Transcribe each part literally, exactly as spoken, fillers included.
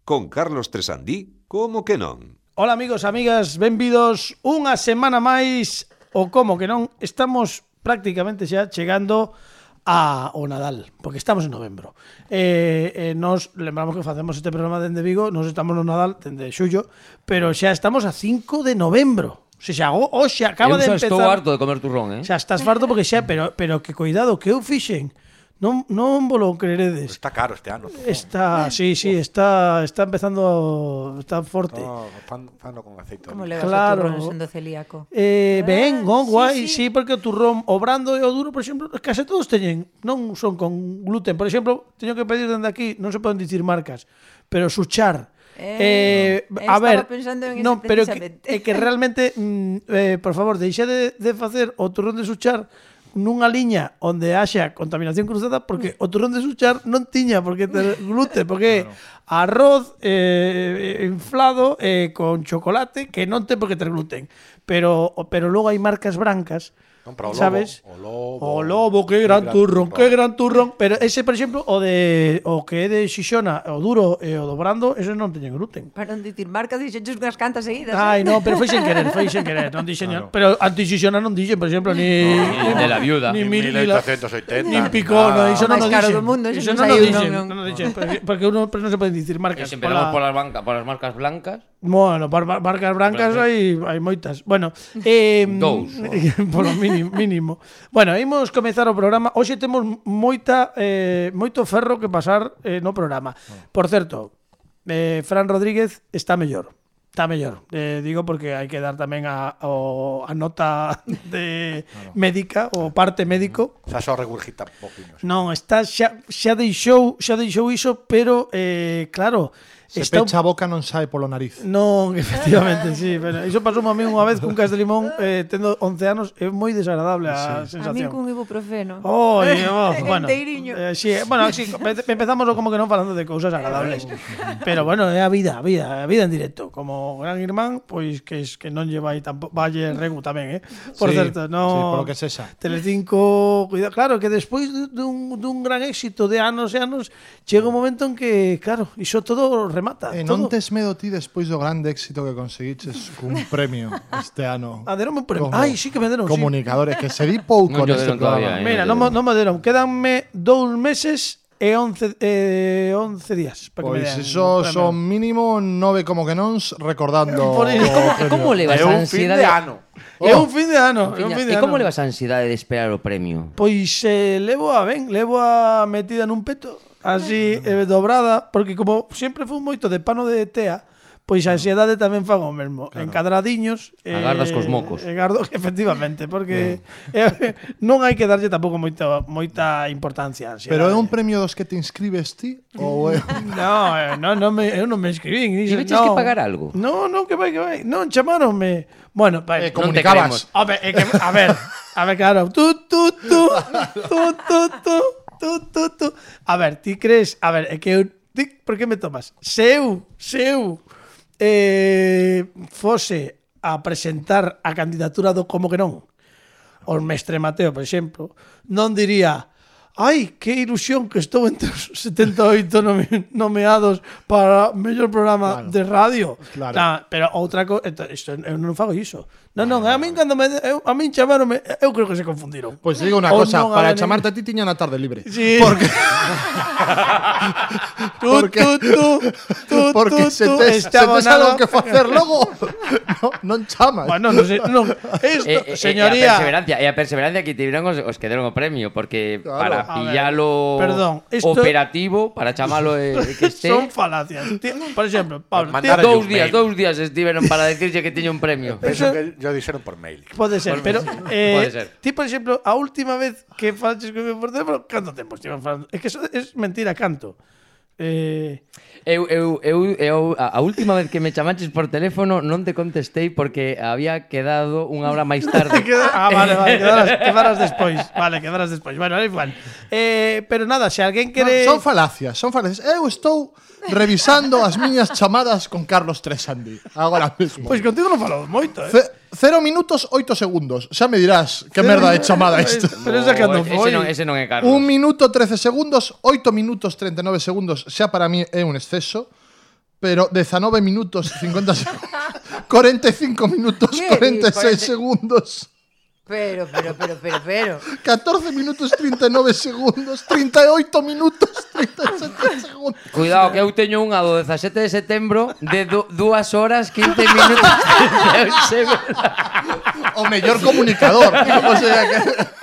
Con Carlos Tresandí, como que non? Ola amigos, amigas, benvidos unha semana máis o como que non. Estamos prácticamente xa chegando a o Nadal, porque estamos en novembro. Eh, eh, nos lembramos que facemos este programa dende Vigo, nos estamos no Nadal dende xullo, pero xa estamos a cinco de novembro. O sea, o, o xa acaba de empezar. Eu xa estou harto de comer turrón, eh? Xa estás farto porque xa, pero pero que cuidado, que eu fixen. Non non vos lo creeredes. Está caro este ano. Está, sí, sí, está está empezando, está forte. No, fan, fano con aceite. Como levas Claro. o turrón sendo celíaco? Eh, ben, sí, non, guai, sí. sí, porque o turrón, o brando e o duro, por exemplo, case todos teñen, non son con gluten. Por exemplo, teño que pedir dende aquí, non se poden dicir marcas, pero Suchar. Eh, Eh, a estaba ver, pensando en non, ese pero que, precisamente. é que realmente, mm, eh, por favor, deixe de, de facer o turrón de Suchar nunha liña onde haxa contaminación cruzada, porque o turrón de Suchar non tiña porque ter gluten, porque claro. Arroz eh, inflado eh, con chocolate que non ten por que ter gluten, pero pero logo hai marcas brancas, Compra o lobo, sabes? o lobo, o lobo, que gran, gran turrón, que gran turrón, pero ese, por exemplo, o de o que é de Xixona, o duro e o do brando, ese non teñen gluten. Para non dicir marca, dixenches unhas cantas seguidas. Ai, eh? no, pero foi sen querer, foi sen querer, non dixen, claro. Pero anti-Xixona non dixen, por exemplo, ni Ni de la viuda. ni mil mil ochocientos oitenta, nin picó, no, iso non máis o caro dixen. do mundo, iso Iso non non o saiu, dixen, non, non. non o dixen, porque- porque uno pero non se poden dicir E marcas. se empezamos pola- polas banca, polas marcas blancas. Bueno, par, par, marcas brancas hai hai moitas. Bueno, eh Dous. polo mínimo, mínimo. Bueno, imos comezar o programa. Hoxe temos moita eh, moito ferro que pasar eh, no programa. Por certo, eh, Fran Rodríguez está mellor. Está mellor. Eh, digo porque hai que dar tamén a, o, a nota de médica, o parte médico. Xa só regurgita poquiños. Non, está xa xa deixou, xa deixou iso, pero eh, claro, Se está un- pecha a boca non sae polo nariz. Non, efectivamente, sí, pero iso pasou a mí unha vez cun cas de limón, eh, tendo once anos, é moi desagradable a A mí sensación. cun ibuprofeno. Oh, y, oh, bueno, Enteiriño. eh, sí, bueno, sí, empe- empezamos como que non falando de cousas agradables. Pero bueno, é a vida, a vida, a vida en directo. Como Gran Irmán, pois que es que non lleva aí tampouco, valle Regu tamén, eh. Por Sí, certo, no. sí, polo que sexa. Telecinco, cuidado, claro, que despois dun, dun gran éxito de anos e anos, chega un momento en que, claro, iso todo remata. E todo. non tes medo ti despois do grande éxito que conseguiches cun premio este ano? Ah, deronme un premio. Como Ai, sí que me deron, sí. Comunicadores, que se di pouco Non lle neste deron todavía, programa. eh. Mira, non, mo- non me deron. Quédanme dous meses e once, eh, once días para que me Pois den iso un premio. son mínimo nove como que non recordando Por o iso. Como, premio. como levas É a un fin ansiedade? de ano. É un fin de ano, é un fin de E ano. como levas a ansiedade de esperar o premio? Pois eh, levo a ben, levo a metida nun peto, así eh, dobrada, porque como sempre fui moito de pano de tea, pois a ansiedade tamén fago o mesmo, claro. Encadradiños. Agardas cos mocos. E gardo, efectivamente, porque eh, non hai que darlle tampouco moita moita importancia á ansiedade. Pero é un premio dos que te inscribes ti ou é No, eh, no, no me, eu non me inscribín. Tiveches no. que pagar algo? No, no, que vai, que vai. Non, chamaronme. Bueno, vai. Eh, comunicabas. Home, é que, a ver, a ver, claro. Tú, tú, tú, tú, tú, tú, tú, tú, tú. A ver, ti crees, a ver, é que eu, ti, por que me tomas? Se eu, se eu eh, fose a presentar a candidatura do como que non, o Mestre Mateo, por exemplo, non diría: ai, que ilusión que estou entre os setenta e oito nome, nomeados para mellor programa Claro. de radio. Claro. Nah, pero outra cosa, isto eu non fago iso. Non, non, a min cando me eu, a min chamaronme, eu creo que se confundiron. Pois digo unha Ou cosa, non para haben- chamarte a ti tiña na tarde libre. Sí. Porque Tú, porque- tú, tú, tú, porque tú, se tú, tes, se estaba tes algo nada- que facer logo, no, non chamas. Bueno, non sei, non. Esto, E, e, señoría. e a perseverancia, e a perseverancia que tiveron os, os que deron o premio, porque Claro. para A ver, pillalo perdón, esto- operativo, para chamalo e que este Son falacias. Ti- Por exemplo, Pablo, ti- Mandar dous un días, mail. dous días estiveron para decirse que tiña un premio. Penso que yo dixeron por mail. pode ser, pero eh, Pode ser. ti, por exemplo, a última vez que falaches comigo por teléfono, canto tempo estivemos falando? É que eso é mentira, canto. Eh, Eu, eu, eu, eu a, a última vez que me chamaches por teléfono non te contestei porque había quedado unha hora máis tarde. queda- ah, vale, vale, quedarás, quedarás despois. Vale, quedarás despois. Bueno, é igual. Eh, pero nada, se alguén No, quere... son falacias, son falacias. Eu estou revisando as miñas chamadas con Carlos Tresandi agora mesmo. Pois contigo non falamos moito, eh. Ce- Cero minutos, oito segundos. Xa me dirás que merda de chamada isto. Pero esa cando ese foi. non, ese non é Carlos. Un minuto, trece segundos, oito minutos, treinta e nove segundos. Xa para mí é un exceso. pero diecinueve minutos cincuenta segundos. cuarenta y cinco minutos ¿Qué? cuarenta y seis cuarenta segundos. Pero, pero, pero, pero, pero. catorce minutos treinta y nueve segundos. treinta y ocho minutos treinta y siete segundos. Cuidado, que eu teño unha do dezasete de setembro de dúas horas, quince minutos, trinta e un segundos. O mellor comunicador. O sea que...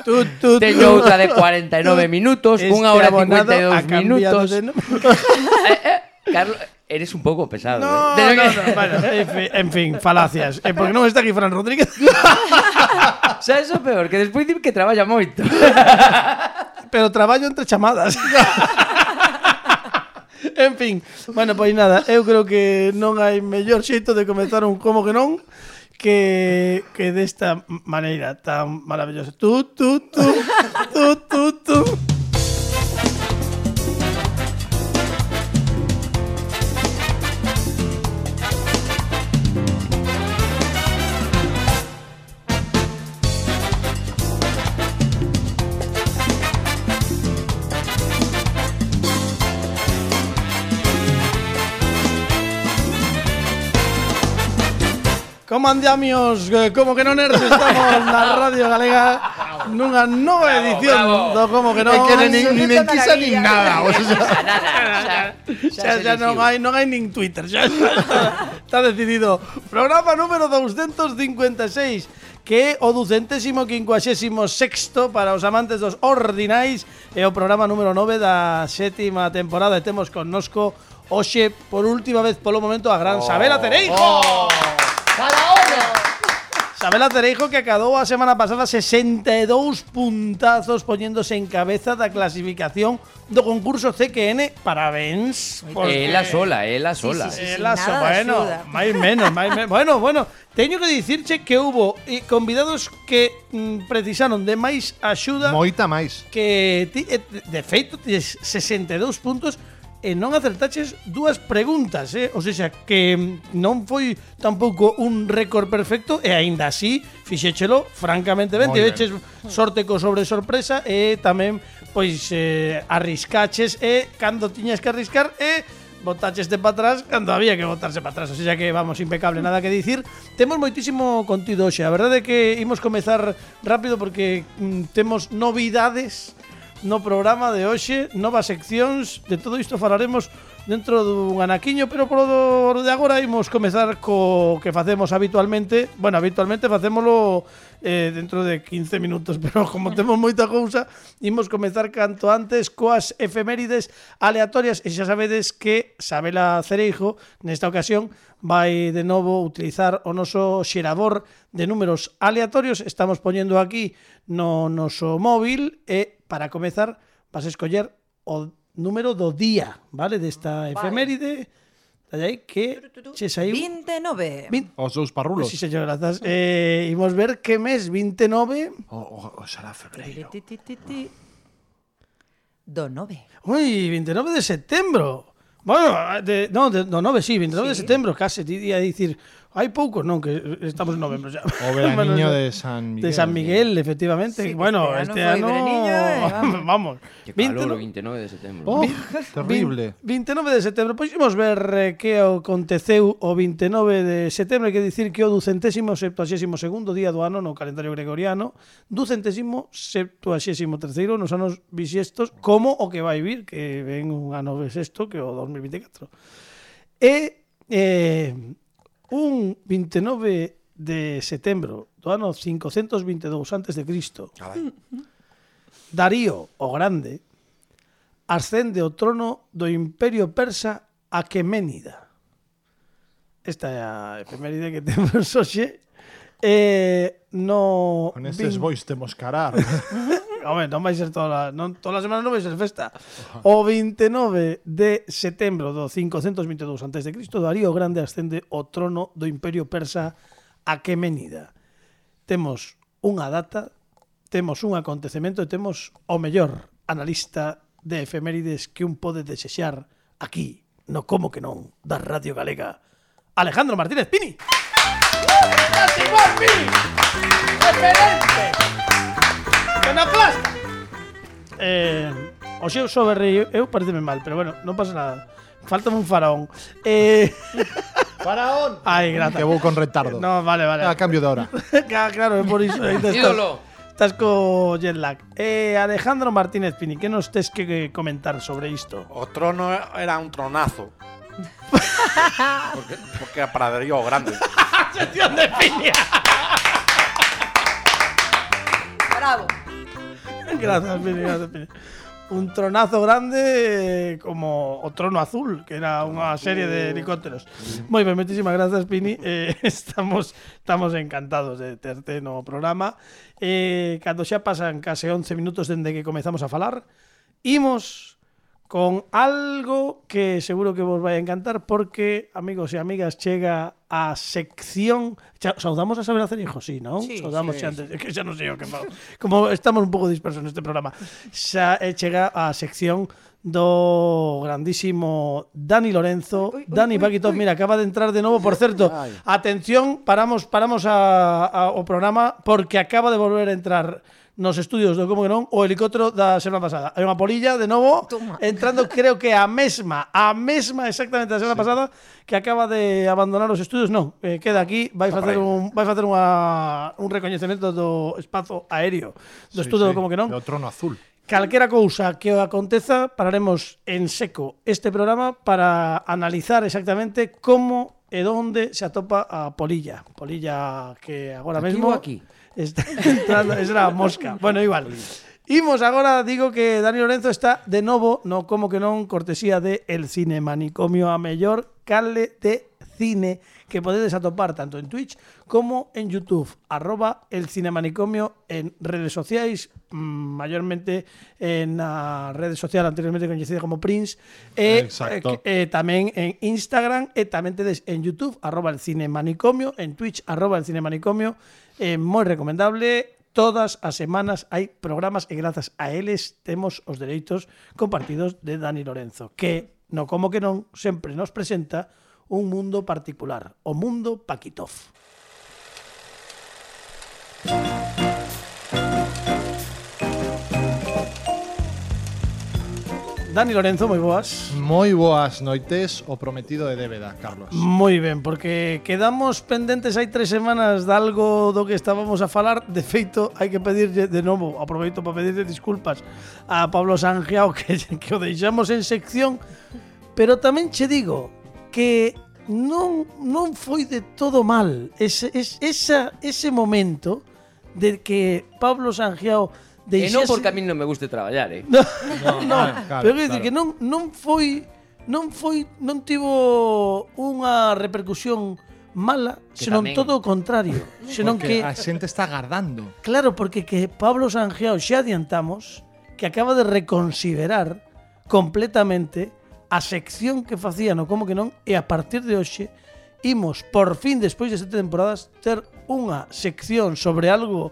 Tú, tú, Teño outra de cuarenta e nove minutos, unha hora e cincuenta e dous minutos. Eh, eh, Carlos, eres un pouco pesado. No, eh. no, no, bueno, en fin, en fin, falacias. Eh, porque non está aquí Fran Rodríguez. Sabes o peor? Que despois di que traballa moito. Pero traballo entre chamadas. En fin, bueno, pois nada, eu creo que non hai mellor xeito de comezar un como que non que que desta maneira tan maravillosa. Tú, tú, tú, tú, tú, tú. Como andamios, como que non nerds, estamos na Radio Galega nunha nova edición bravo. do Como que non. É que nin, nin, nin Absoluta quisa nin maravilla. nada. O sea, Xa, xa non hai, non hai nin Twitter, xa está, está decidido. Programa número doscientos cincuenta e seis, que é o ducentésimo quincuaxésimo sexto para os amantes dos ordinais, e o programa número nove da sétima temporada. E temos connosco hoxe, por última vez polo momento, a gran Sabela Tereijo. oh. Sabela Tereijo, que acadou a semana pasada sesenta e dous puntazos poñéndose en cabeza da clasificación do concurso C Q N. Parabéns. porque- Ela sola, ela sola. sí, sí. Ela nada so, de bueno, axuda. máis menos, máis menos. Bueno, bueno, teño que dicirche que hubo eh, convidados que mm, precisaron de máis axuda Moita máis. que ti, eh, de feito tes sesenta e dous puntos e non acertaches dúas preguntas, eh? O sea, que mm, non foi tampouco un récord perfecto e aínda así fixéchelo francamente ben. Moi ben. Tiveches sorte co sobre sorpresa e tamén pois eh, arriscaches e cando tiñas que arriscar e botaches de para atrás cando había que botarse para atrás. O sea que vamos, impecable, nada que dicir. Temos moitísimo contido hoxe. A verdade é que imos comezar rápido porque mm, temos novidades no programa de hoxe, novas seccións. De todo isto falaremos dentro dun anaquiño, pero por do de agora imos comezar co que facemos habitualmente. Bueno, habitualmente facémolo eh, dentro de quince minutos, pero como temos moita cousa, imos comezar canto antes coas efemérides aleatorias. E xa sabedes que Sabela Cereijo nesta ocasión vai de novo utilizar o noso xerador de números aleatorios. Estamos poñendo aquí no noso móvil e para comezar vas a escoller o número do día, vale, desta efeméride. Dai aí que che saiu veintinueve. vinte. Os dous parrulos. Sí, señor, grazas. Eh, imos ver que mes veintinueve. O, o, o será febreiro. Ti, ti, ti, ti. Do nove. Ui, veintinueve de setembro. Bueno, de, no, de, no, nove, sí, veintinueve de Sí. setembro, case, ti ia dicir, hai pouco, non, que estamos en novembro xa. O veraniño Bueno, de San Miguel. De San Miguel, efectivamente. Sí, que bueno, este este ano ano, foi veraniño, eh, vamos. vamos. Que calor, o veintinueve veintinueve de setembro. Oh, terrible. veintinueve de setembro. Pois imos ver eh, que aconteceu o veintinueve de setembro. Hai que dicir que o ducentésimo septuaxésimo segundo día do ano no calendario gregoriano, ducentésimo septuaxésimo terceiro nos anos bisiestos, como o que vai vir, que ven un ano bisiesto que o dos mil veinticuatro. E eh, un veintinueve de setembro do ano cincocentos veintidous antes de Cristo, Darío o Grande ascende ao trono do Imperio Persa Aqueménida. Esta é a efeméride que temos hoxe. Eh, no Con estes vin- bois temos carar. Home, non vai ser toda, non, toda a semana non vai ser festa. O veintinueve de setembro do cincocentos veintidous antes de Cristo, Darío o Grande ascende ao trono do Imperio Persa Aqueménida. Temos unha data, temos un acontecemento e temos o mellor analista de efemérides que un pode desexar aquí, no Como que non, da Radio Galega, Alejandro Martínez Pini. ¡Estás igual, Pini! ¡Excelente! ¡Penaplasma! Eh, o xeo só berrei eu, pareceme mal, pero bueno, non pasa nada. Faltame un faraón. Eh, Faraón. Ai, gracias. Que vou con retardo. No, vale, vale. A cambio de hora. Claro, claro, é por iso. aí te estás- Ídolo. Estás co jet lag. Eh, Alejandro Martínez Pini, que nos tes que comentar sobre isto? O trono era un tronazo. porque, porque era praderío grande. Sección de Pini. Bravo. Gracias, Pini, gracias, Pini. Un tronazo grande eh, como o Trono Azul, que era unha serie de helicópteros. Moi ben, moitísimas grazas, Pini. Eh, estamos estamos encantados de terte no programa. Eh, cando xa pasan case once minutos dende que comezamos a falar, imos con algo que seguro que vos vai a encantar porque, amigos e amigas, chega a sección... Xa, saudamos a Saber Hacer Hijos, sí, non? Sí, saudamos sí, xa antes, que xa non sei o que fago. Como estamos un pouco dispersos neste programa. Xa eh, chega a sección do grandísimo Dani Lorenzo. Uy, uy, Dani uy, Paquito, uy. mira, acaba de entrar de novo. Por certo, Ay. atención, paramos paramos a, a, o programa porque acaba de volver a entrar nos estudios do Como que non o helicóptero da semana pasada. Hai unha polilla de novo Toma. entrando, creo que a mesma, a mesma exactamente da semana sí. pasada que acaba de abandonar os estudios. Non, eh, queda aquí, vai Está facer por aí. un vai facer unha un recoñecemento do espazo aéreo do estudio do Como que non. O trono azul. Calquera cousa que o aconteza, pararemos en seco este programa para analizar exactamente como e onde se atopa a polilla. Polilla que agora Aquí mesmo ou aquí? está entrando, es la mosca. Bueno, igual. Imos agora, digo que Dani Lorenzo está de novo no Como que non, cortesía de El Cine Manicomio, a mellor cale de cine que podedes atopar tanto en Twitch como en YouTube, arroba El Cine Manicomio en redes sociais, mmm, mayormente en a rede social anteriormente coñecida como Prince, e Exacto. eh, eh, tamén en Instagram, e tamén tedes en YouTube, arroba El Cine Manicomio, en Twitch, arroba El Cine Manicomio. Eh, moi recomendable. Todas as semanas hai programas e grazas a eles temos os dereitos compartidos de Dani Lorenzo, que no Como que non sempre nos presenta un mundo particular, o mundo Paquitov. Dani Lorenzo, moi boas. Moi boas noites, o prometido de débeda, Carlos. Moi ben, porque quedamos pendentes hai tres semanas de algo do que estábamos a falar. De feito, hai que pedirlle de novo, aproveito para pedirle disculpas a Pablo Sangiao que, que o deixamos en sección, pero tamén che digo que non, non foi de todo mal ese, es, esa, ese momento de que Pablo Sangiao E non deixase... porque a mí non me guste traballar, eh? No, No, no, claro, claro, pero quero dicir claro. que non non foi non foi non tivo unha repercusión mala, Que senón tamén. todo o contrario, senón Porque que a xente está agardando. claro, porque que Pablo Sangiao xa adiantamos que acaba de reconsiderar completamente a sección que facía no Como que non, e a partir de hoxe imos por fin despois de sete temporadas ter unha sección sobre algo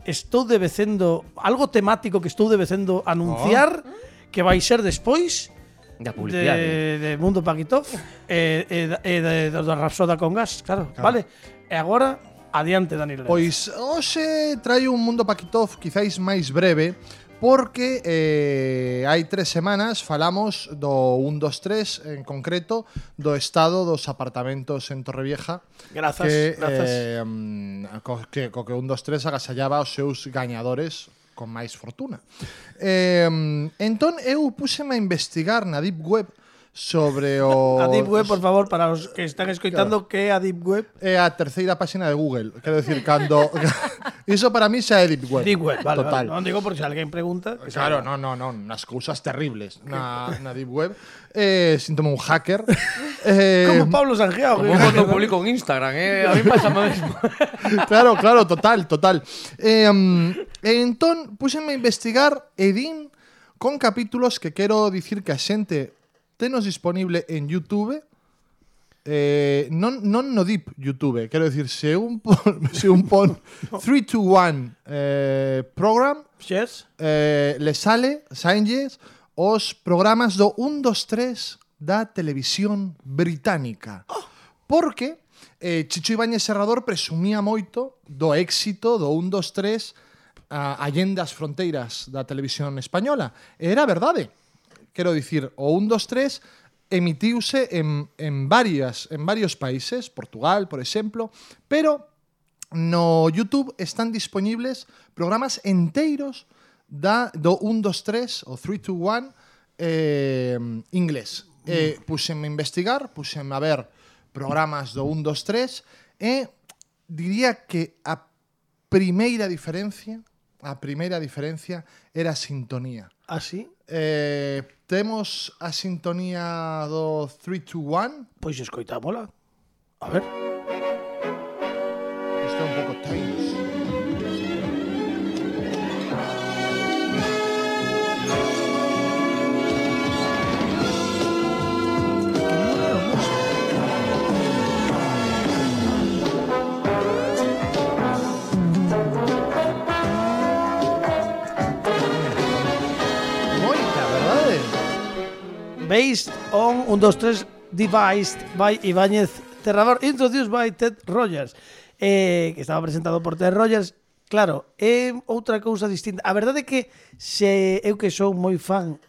estou debecendo, algo temático que estou debecendo anunciar oh. que vai ser despois Da publicidade. de, de Mundo Paquitov e, e, e de, de, de Rapsoda con gas, claro, claro, vale. E agora, adiante, Dani Lorenzo. Pois hoxe traio un mundo Paquitov quizáis máis breve, porque eh, hai tres semanas falamos do un, dos, tres, en concreto, do estado dos apartamentos en Torrevieja. Grazas, que, grazas. Eh, mm, co, que, co que un, dos, tres agasallaba os seus gañadores con máis fortuna. Eh, entón, eu púxeme a investigar na Deep Web sobre o... A Deep Web, por favor, para os que están escoitando, claro. Que é a Deep Web? É a terceira páxina de Google. Quero decir, cando... Iso para mí xa é Deep Web. Deep Web, vale, Total. vale. Non digo por se alguén pregunta. Que Claro, no, no, no, nas cousas terribles na, na Deep Web. Eh, síntome un hacker. Eh, Como Pablo Sangiao. Como cando publico en Instagram, eh? A mí pasa o mesmo. claro, claro, total, total. Eh, um, e entón, puxenme a investigar e din con capítulos que quero dicir que a xente tenos disponible en YouTube. Eh, non, non no Deep YouTube, quero dicir, se un pon, se un pon three two one eh, program, Yes. eh, le sale, saenlles, os programas do un, dos, tres da televisión británica. Porque eh, Chicho Ibáñez Serrador presumía moito do éxito do un, dos, tres a, allende as fronteiras da televisión española. E era verdade. Quero dicir, o un, dos, tres emitiuse en, en, varias, en varios países, Portugal, por exemplo, pero no YouTube están disponibles programas enteiros da, do one two three o three two one eh, inglés. Eh, puxenme a investigar, puxenme a ver programas do one two three e diría que a primeira diferencia a primeira diferencia era a sintonía. Así? Eh, temos a sintonía do three two one. Pois escoitámola. A ver. Isto é un pouco Times. Based on one two three devised by Ibáñez Terrador, introduced by Ted Rogers, eh, que estaba presentado por Ted Rogers. Claro, é outra cousa distinta. A verdade é que se eu que sou moi fan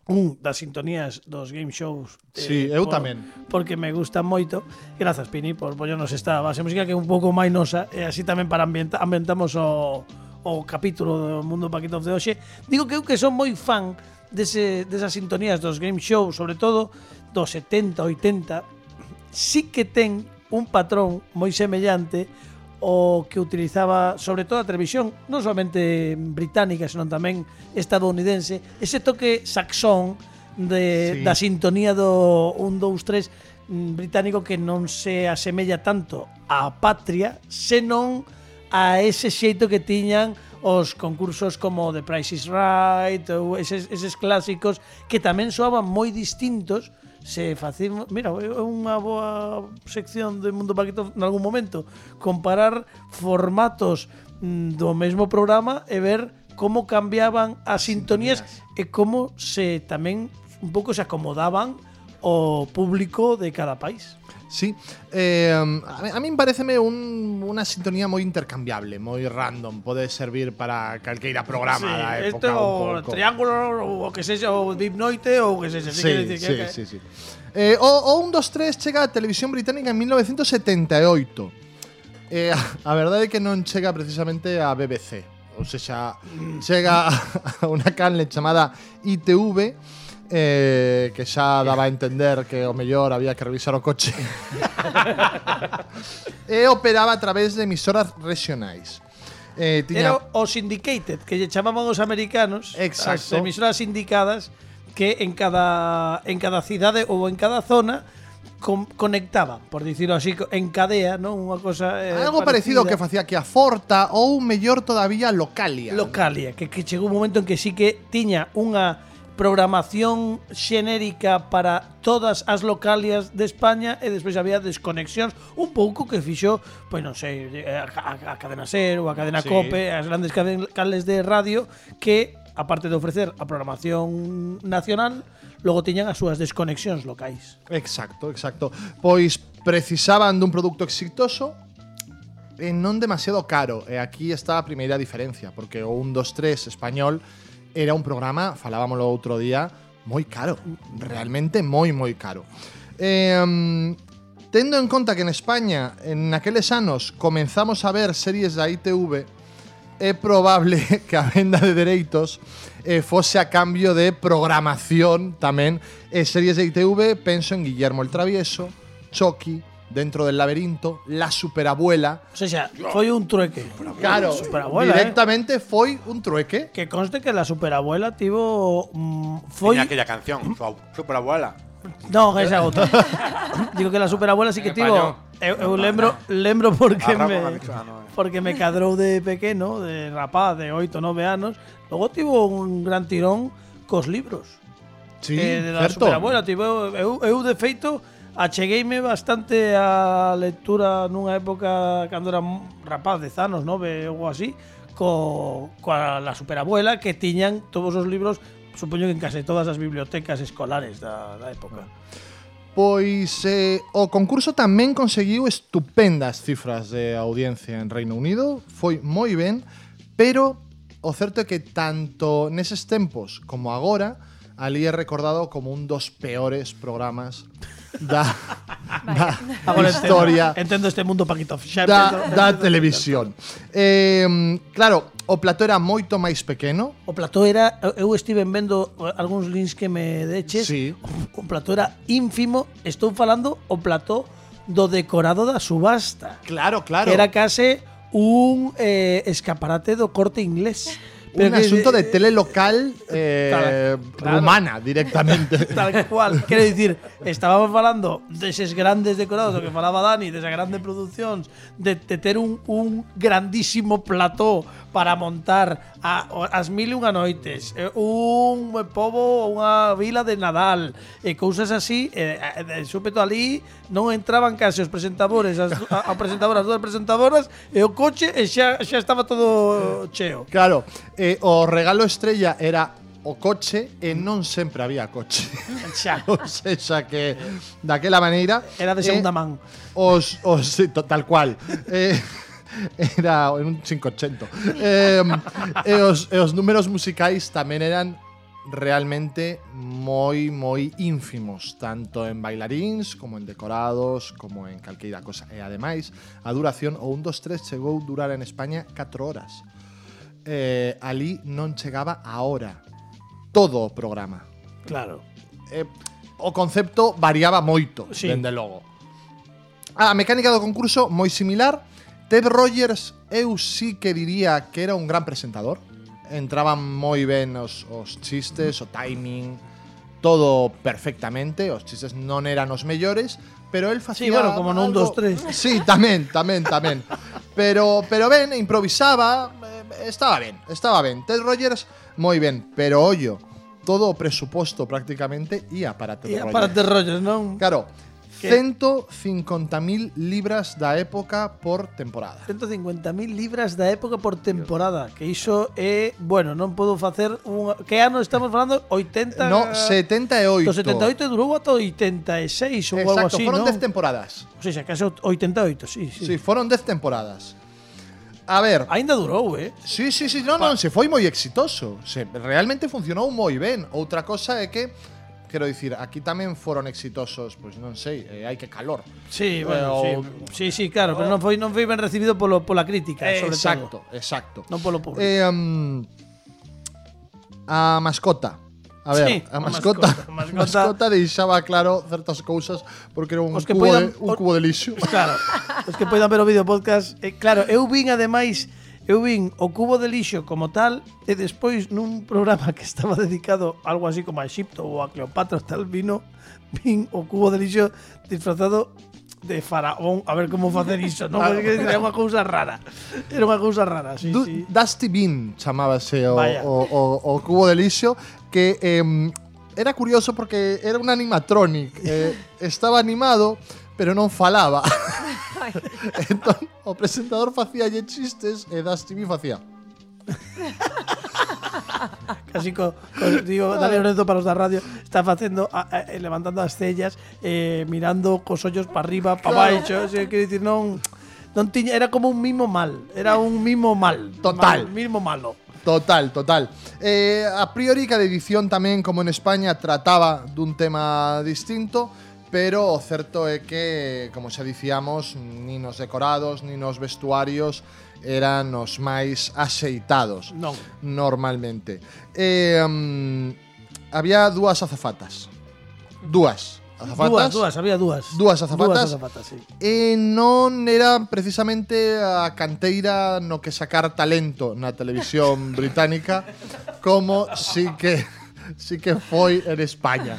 un das sintonías dos game shows, eh, Sí, eu por, tamén. porque me gustan moito. Grazas, Pini, por poñernos esta base música que é un pouco máis nosa, e así tamén para ambienta, ambientamos o, o capítulo do Mundo Paquito de hoxe. Digo que eu que son moi fan dese, desas sintonías dos game shows, sobre todo dos setenta, oitenta, sí que ten un patrón moi semellante o que utilizaba sobre todo a televisión, non solamente británica, senón tamén estadounidense, ese toque saxón de, Sí. da sintonía do one two three británico que non se asemella tanto á patria, senón a ese xeito que tiñan os concursos como The Price is Right ou eses, eses clásicos que tamén soaban moi distintos. Se facemos, mira, é unha boa sección do Mundo Paquito en algún momento, comparar formatos mm, do mesmo programa e ver como cambiaban as sintonías e como se tamén un pouco se acomodaban o público de cada país. Sí, eh, a mí, a mí pareceme un, unha sintonía moi intercambiable, moi random, pode servir para calqueira programa Sí, da este época o un pouco. Triángulo o que sexa o Deep Noite ou que sexa, Sí, quero dicir sí, que, sí, sí. Eh, o, o one two three chega a televisión británica en mil novecientos setenta e oito. Eh, a verdade é que non chega precisamente a B B C, ou seja, chega a unha canle chamada I T V, eh, que xa daba a entender que o mellor había que revisar o coche. E operaba a través de emisoras regionais. Eh, tiña... Era o syndicated, que lle chamaban os americanos, Exacto. as emisoras sindicadas que en cada en cada cidade ou en cada zona con, conectaban, por dicirlo así, en cadea, non? Unha cosa eh, Algo parecido que facía que a Forta ou mellor todavía Localia. Localia, que, que chegou un momento en que sí que tiña unha programación xenérica para todas as localias de España e despois había desconexións un pouco que fixo, pois non sei, a, a, a Cadena Ser ou a Cadena Sí. Cope, as grandes canles de radio que, aparte de ofrecer a programación nacional, logo tiñan as súas desconexións locais. Exacto, exacto. Pois precisaban dun produto exitoso e non demasiado caro. E aquí está a primeira diferencia, porque o one two three español era un programa, falábamoslo outro día, moi caro. Realmente moi, moi caro. Eh, um, tendo en conta que en España, en aqueles anos, comenzamos a ver series da I T V, é probable que a venda de dereitos eh, fose a cambio de programación tamén. E series de I T V, penso en Guillermo el Travieso, Chucky, Dentro del laberinto, La Superabuela. O sea, foi un trueque. Claro, Superabuela, directamente eh? foi un trueque. Que conste que la superabuela tivo mm, foi Tiña aquella canción, su superabuela. No, esa outra. Digo que la superabuela sí que tivo. Eu, eu lembro, lembro porque Ah, me Rafa, ah, no, eh. porque me cadrou de pequeno, de rapaz de oito, nove anos. Logo tivo un gran tirón cos libros. Sí, eh, de la certo. superabuela, tivo eu, eu de feito achegueime bastante a lectura nunha época cando era rapaz, dez anos, nove ou así, co, coa la superabuela que tiñan todos os libros, supoño que en case todas as bibliotecas escolares da, da época. Pois eh, o concurso tamén conseguiu estupendas cifras de audiencia en Reino Unido, foi moi ben, pero o certo é que tanto neses tempos como agora ali é recordado como un dos peores programas da, da Agora historia entendo, entendo este mundo Paquito Fixar. da, da televisión. Eh, claro, o plató era moito máis pequeno. O plató era, eu estive vendo algúns links que me deches. Sí. O plató era ínfimo. Estou falando o plató do decorado da subasta. Claro, claro. Que era case un eh, escaparate do Corte Inglés. un que- asunto de tele local eh, Claro, claro. rumana directamente. Tal cual. Quero dicir, estábamos falando deses grandes decorados, do que falaba Dani, desas grandes producións, de, de ter un, un grandísimo plató para montar a, as mil e unha noites, eh, un pobo, unha vila de Nadal, e cousas así, e, e, de súpeto ali non entraban case os presentadores, as, a, a presentadora, as dúas presentadoras, e o coche, e xa, xa estaba todo cheo. Claro, eh, o regalo estrella era o coche e non sempre había coche. Xa. O sexa que daquela maneira Era de segunda man. Os, os sí, to- tal cual. Eh, era en un quinientos ochenta. Eh, e, os, e os números musicais tamén eran realmente moi moi ínfimos, tanto en bailaríns como en decorados, como en calqueira cosa. E ademais, a duración o un, dos, tres chegou a durar en España catro horas. Eh, ali non chegaba a hora todo o programa. Claro. Eh, o concepto variaba moito, Sí. dende logo. A mecánica do concurso moi similar. Ted Rogers, eu sí que diría que era un gran presentador. Entraban moi ben os, os chistes, o timing, todo perfectamente. Os chistes non eran os mellores, pero el facía Sí, bueno, como non un, algo- dos, tres. Sí, tamén, tamén, tamén. Pero pero ben, improvisaba, eh, estaba ben, estaba ben. Ted Rogers moi ben, pero ollo, todo o presuposto prácticamente ia para Ted E Rogers. para ter rollos, non? Claro, Que- ciento cincuenta mil libras da época por temporada. ciento cincuenta mil libras da época por temporada, que iso é, bueno, non podo facer un que ano estamos falando? oitenta No, setenta e oito. Do setenta e oito durou ata oitenta e seis ou algo Exacto, así, foron non? dez temporadas. O sea, case oitenta e oito, sí, sí. Sí, foron dez temporadas. A ver, Aínda durou, eh? sí, sí, sí, non, non, se foi moi exitoso. Se realmente funcionou moi ben. Outra cosa é que quero dicir, aquí tamén foron exitosos, pois non sei, eh, hai que calor. Sí, bueno, Eh, sí. Sí, sí, claro, pero non foi non foi ben recibido polo pola crítica, Eh, sobre exacto, todo. exacto. Non polo público. Eh, um, a mascota. A ver, Sí, a a mascota, mascota, a mascota, mascota- mascota deixaba claro certas cousas porque era un Os que cubo, poidan- de, un cubo de lixo. Claro, os que poidan ver o vídeo podcast, eh, claro, eu vin ademais, eu vin o cubo de lixo como tal e despois nun programa que estaba dedicado algo así como a Egipto ou a Cleopatra tal vino, vin o cubo de lixo disfrazado de faraón, a ver como facer iso, non? Porque era unha cousa rara. Era unha cousa rara, sí, Du- sí. Dusty Bean chamábase o, Vaya. o, o, o cubo de lixo que em, era curioso porque era un animatronic. eh, estaba animado, pero non falaba. Entón, o presentador facía chistes e Dusty Bean facía. Casi co, co digo, Dani Lorenzo para os da radio está facendo a, a, levantando as cellas, eh, mirando cos ollos para arriba, para Claro. baixo, o sea, quero dicir, non non tiña, era como un mimo mal, era un mimo mal, Total. mal, mimo malo. Total, total. Eh, a priori cada edición tamén, como en España, trataba dun tema distinto, pero o certo é que, como xa dicíamos, nin os decorados, nin os vestuarios eran os máis axeitados Non. normalmente. Eh, um, había dúas azafatas. Dúas azafatas. Dúas, dúas, había dúas. Dúas azafatas. Dúas azafatas, sí. E non era precisamente a canteira no que sacar talento na televisión británica como sí que sí que foi en España.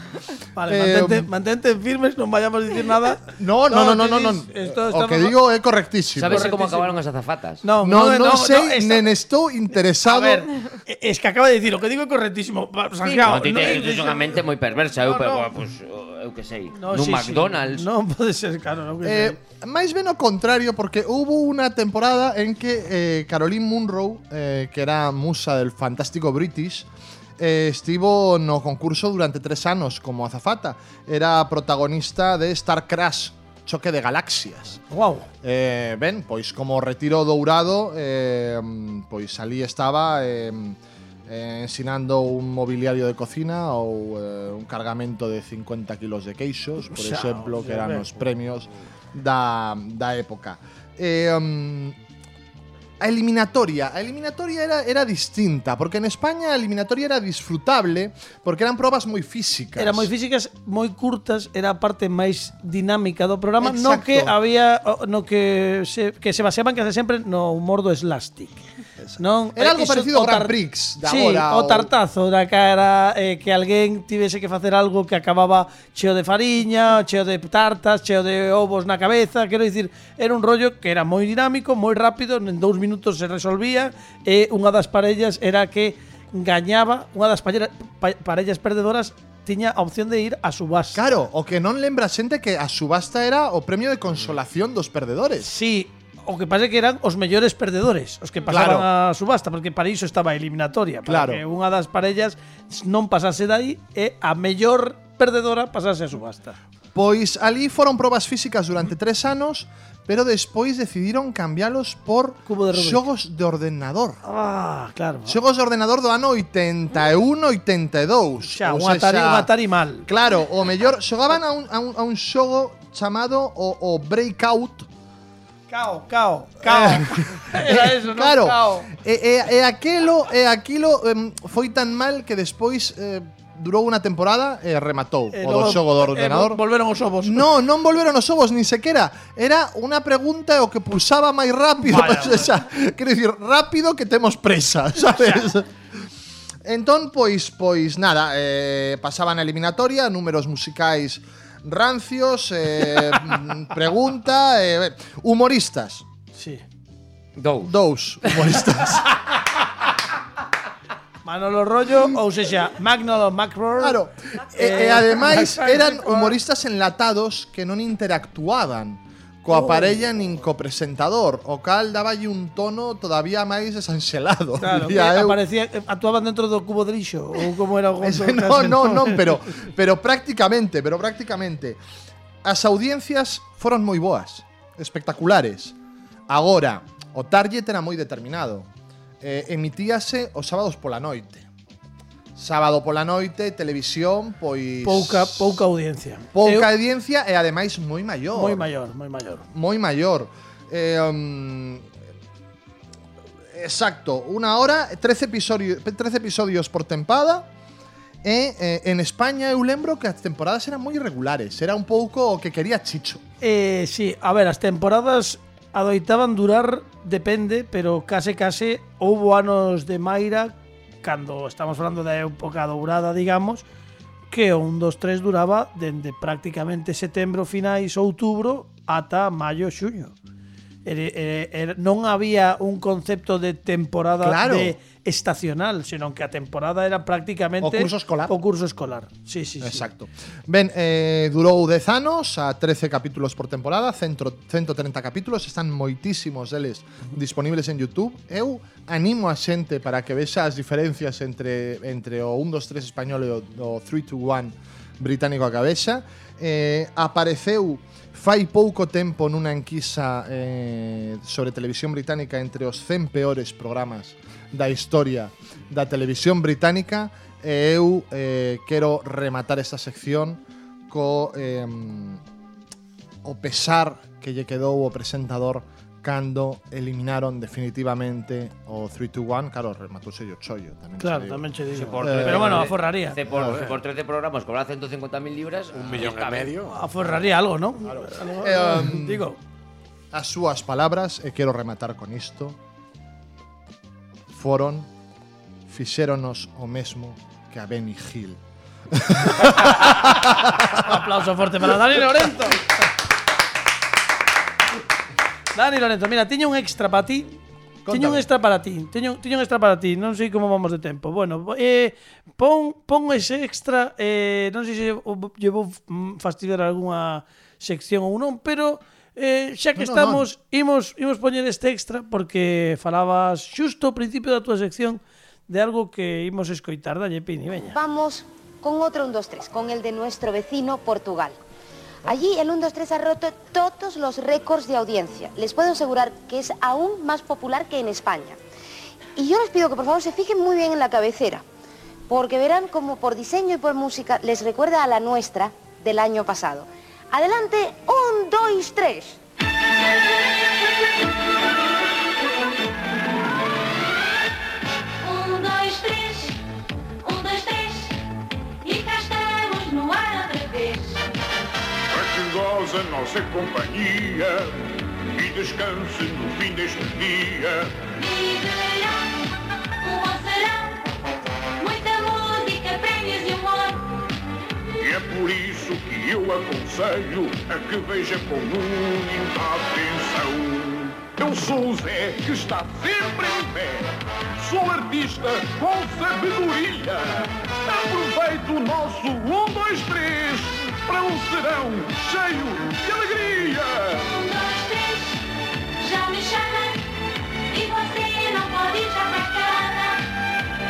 Vale, Eh, mantente, mantente firmes, non vayamos a dicir nada. No, no, no, no, no, no. Esto O estamos- que digo é correctísimo. Sabes como Correctísimo. acabaron as azafatas? No, No, no, sei, esta- nen estou A interesado. ver, es que acaba de decir, o que digo é correctísimo. Pa- Santiago, No, ti no- tes tes unha mente moi perversa, eu, No, pero, no. pues, eu que sei, No, nun sí, sí. McDonald's. Non pode ser, claro, non que Eh, sei. máis ben o contrario, porque hubo unha temporada en que eh, Caroline Munro, eh, que era musa del fantástico British, eh, estivo no concurso durante tres anos como azafata. Era protagonista de Star Crash, Choque de Galaxias. Wow. Eh, ben, pois como retiro dourado, eh, pois ali estaba eh, eh, ensinando un mobiliario de cocina ou eh, un cargamento de cincuenta kilos de queixos, por Xa, exemplo, que xa, eran ben. os premios da, da época. Eh, um, a eliminatoria, a eliminatoria era, era distinta, porque en España a eliminatoria era disfrutable, porque eran probas moi físicas. Era moi físicas, moi curtas, era a parte máis dinámica do programa, no Exacto. que había no que se que se baseaban case sempre no humor do slapstick. Non? Era algo Iso, parecido ao o Grand tar- Prix de sí, agora, o o- tartazo da cara eh, que alguén tivese que facer algo que acababa cheo de fariña, cheo de tartas, cheo de ovos na cabeza, quero dicir, era un rollo que era moi dinámico, moi rápido, en dous minutos se resolvía, e unha das parellas era que gañaba, unha das parellas, pa, parellas perdedoras tiña a opción de ir a subasta. Claro, o que non lembra a xente que a subasta era o premio de consolación dos perdedores. Sí, o que pasa é que eran os mellores perdedores, os que pasaban Claro. a subasta, porque para iso estaba a eliminatoria, para Claro. que unha das parellas non pasase dai e a mellor perdedora pasase a subasta. Pois ali foron probas físicas durante tres anos, pero despois decidiron cambialos por Cubo de Rubik. xogos de ordenador. Ah, claro. Xogos de ordenador do ano oitenta e un oitenta e dous. Xa, Ou un Atari, sexa, un Atari mal. Claro, o mellor xogaban a un, a un, a un xogo chamado o, o Breakout. Cao, cao, cao. Era eso, non? Claro. Cao. E, e, e aquilo, e aquilo em, foi tan mal que despois eh, durou unha temporada e rematou E o do logo, xogo do eh, ordenador. vol- volveron os ovos. No, non volveron os ovos, nin sequera. Era unha pregunta e o que pulsaba máis rápido. Vaya, Pues, esa, quero dicir, rápido que temos presa, sabes? Entón, pois, pois nada, eh, pasaban a eliminatoria, números musicais rancios, eh, mm, pregunta, eh, humoristas. Sí. Dous. Dous humoristas. Manolo Rollo, ou sexa, Magnolo Macro. Claro. E, e Eh, ademais Max eran Franco. humoristas enlatados que non interactuaban coa parella nin co presentador, o cal daballe un tono todavía máis desanxelado. Claro, que diría eu. aparecía, eh, actuaban dentro do cubo de lixo ou como era o Ese, conto no, case, no, non, pero pero prácticamente, pero prácticamente as audiencias foron moi boas, espectaculares. Agora, o target era moi determinado. Eh, emitíase os sábados pola noite. Sábado pola noite, televisión, pois pouca pouca audiencia. pouca Eu- audiencia e ademais moi maior. moi maior, moi maior. Moi maior. Eh, um, exacto, unha hora, trece episodios, trece episodios por tempada. E eh, en España eu lembro que as temporadas eran moi irregulares, era un pouco o que quería Chicho. Eh, sí, a ver, as temporadas adoitaban durar, depende, pero case case houbo anos de Maira, cando estamos falando da época dourada, digamos, que o un, dos, tres duraba dende prácticamente setembro, finais, outubro, ata maio, xuño. Ere, ere, ere, non había un concepto de temporada Claro. de estacional, senón que a temporada era prácticamente O curso escolar. O curso escolar. Sí, sí, sí. Exacto. Ben, eh, durou dez anos, a trece capítulos por temporada, cento, ciento treinta capítulos, están moitísimos deles disponibles en YouTube. Eu animo a xente para que vexa as diferencias entre, entre o un, dos, tres español e o, o three, two, one británico a cabeza. Eh, apareceu fai pouco tempo nunha enquisa eh, sobre televisión británica entre os cen peores programas da historia da televisión británica e eu eh, quero rematar esta sección co eh, o pesar que lle quedou o presentador cando eliminaron definitivamente o three, two, one. Claro, rematouse o chollo tamén. Claro, che digo. tamén che digo. por Eh, pero bueno, aforraría. Se por, se por trece programas cobrar ciento cincuenta mil libras, Un millón e medio. Aforraría algo, ¿no? Algo, Eh, um, digo, As súas palabras, e quero rematar con isto, foron fixéronos o mesmo que a Benny Hill. un aplauso fuerte para Dani Lorenzo. Dani Lorenzo, mira, teño un extra para ti. Teño un Contame. extra para ti. Teño, teño un extra para ti. Non sei como vamos de tempo. Bueno, eh, pon, pon ese extra. Eh, non sei se lle vou mm, fastidiar algunha sección ou non, pero eh, xa que No, no, estamos, imos, imos poñer este extra porque falabas xusto ao principio da túa sección de algo que imos escoitar. Dalle, Pini, veña. Vamos con otro un, dos, tres, con el de nuestro vecino Portugal. Allí el un, dos, tres ha roto todos los récords de audiencia. Les puedo asegurar que es aún más popular que en España. Y yo les pido que por favor se fijen muy bien en la cabecera, porque verán como por diseño y por música les recuerda a la nuestra del año pasado. Adelante, un, dos, tres. Um, dois, três, um, dois, três, e cá estamos no ar outra vez. Para que goze a nossa companhia e descanse no fim deste dia. E verão, um bom serão, muita música, prémios e humor. E é por isso que eu aconselho a que veja com muita atenção. Eu sou o Zé, que está sempre em pé. Sou artista com sabedoria. Aproveito o nosso um, dois, três para um serão cheio de alegria. Um, dois, três, já me chamam e você não pode ir já para casa.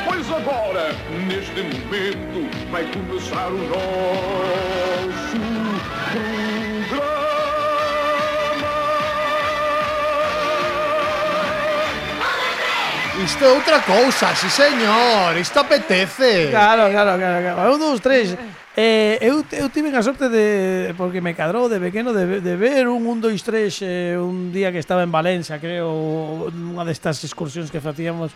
Pois agora, neste momento, vai começar o nosso programa. Isto é outra cousa, sí señor, isto apetece. Claro, claro, claro, claro. Un, dos, tres. Eh, eu, eu tive a sorte de, porque me cadrou de pequeno, de, de ver un un, dois, tres eh, un día que estaba en Valencia, creo, unha destas excursións que facíamos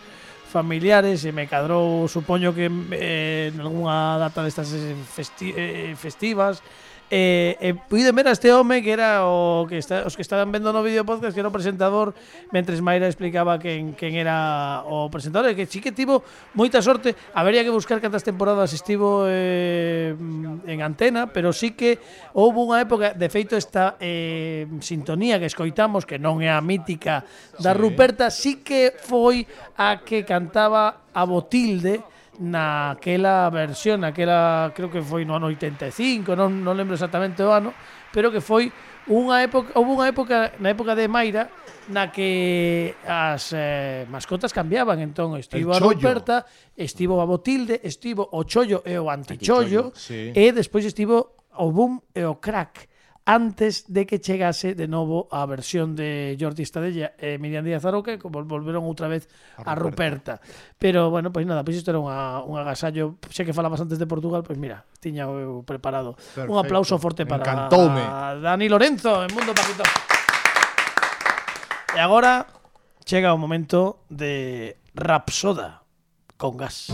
familiares, e me cadrou, supoño que eh, en algunha data destas festi eh, festivas, E, e puiden ver a este home que era o que está, os que estaban vendo no vídeo podcast, que era o presentador, mentres Mayra explicaba quen, quen era o presentador, e que sí que tivo moita sorte. Habería que buscar cantas temporadas estivo eh, en antena, pero sí que houve unha época, de feito esta eh, sintonía que escoitamos, que non é a mítica da Sí. Ruperta, sí que foi a que cantaba a Botilde naquela versión, naquela, creo que foi no ano oitenta e cinco, non, non lembro exactamente o ano, pero que foi unha época, houve unha época, na época de Mayra, na que as eh, mascotas cambiaban, entón estivo a Ruperta, estivo a Botilde, estivo o Chollo e o Antichollo, sí. e despois estivo o Boom e o Crack, antes de que chegase de novo a versión de Jordi Estadella e Miriam Díaz Aroca, que volveron outra vez a Ruperta. Pero, bueno, pois nada, pois isto era unha, un agasallo. Xa que falabas antes de Portugal, pois mira, tiña eu preparado. Perfecto. Un aplauso forte para Encantoume. Dani Lorenzo en Mundo Paquito. E agora chega o momento de Rapsoda con gas.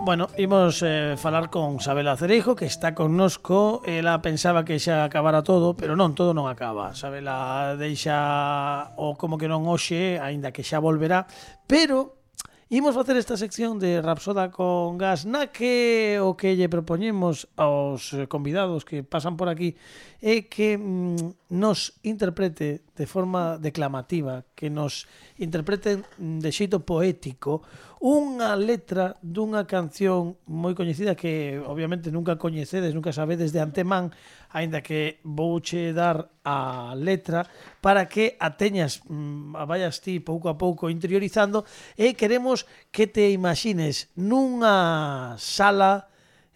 Bueno, imos eh, falar con Sabela Cereijo, que está connosco. Ela pensaba que xa acabara todo, pero non, todo non acaba. Sabela deixa o como que non hoxe, aínda que xa volverá, pero imos facer esta sección de Rapsoda con gas, na que o que lle propoñemos aos convidados que pasan por aquí é que mm, nos interprete de forma declamativa, que nos interpreten de xeito poético unha letra dunha canción moi coñecida que obviamente nunca coñecedes, nunca sabedes de antemán, aínda que vouche dar a letra para que a teñas, mmm, a vayas ti pouco a pouco interiorizando, e queremos que te imagines nunha sala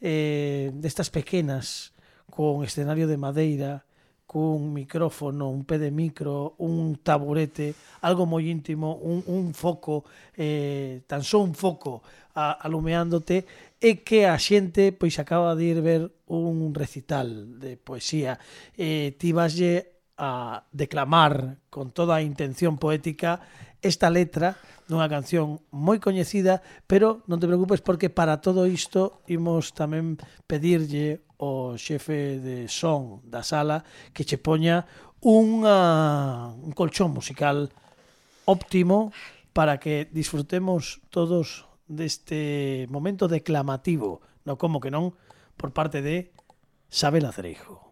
eh, destas pequenas, con escenario de madeira, cun micrófono, un pé de micro, un taburete, algo moi íntimo, un, un foco, eh, tan só un foco a, alumeándote, e que a xente pois acaba de ir ver un recital de poesía. Eh, ti vaslle a declamar con toda a intención poética esta letra dunha canción moi coñecida, pero non te preocupes porque para todo isto imos tamén pedirlle o xefe de son da sala que che poña unha, un colchón musical óptimo para que disfrutemos todos deste momento declamativo, no como que non, por parte de Sabela Cereijo.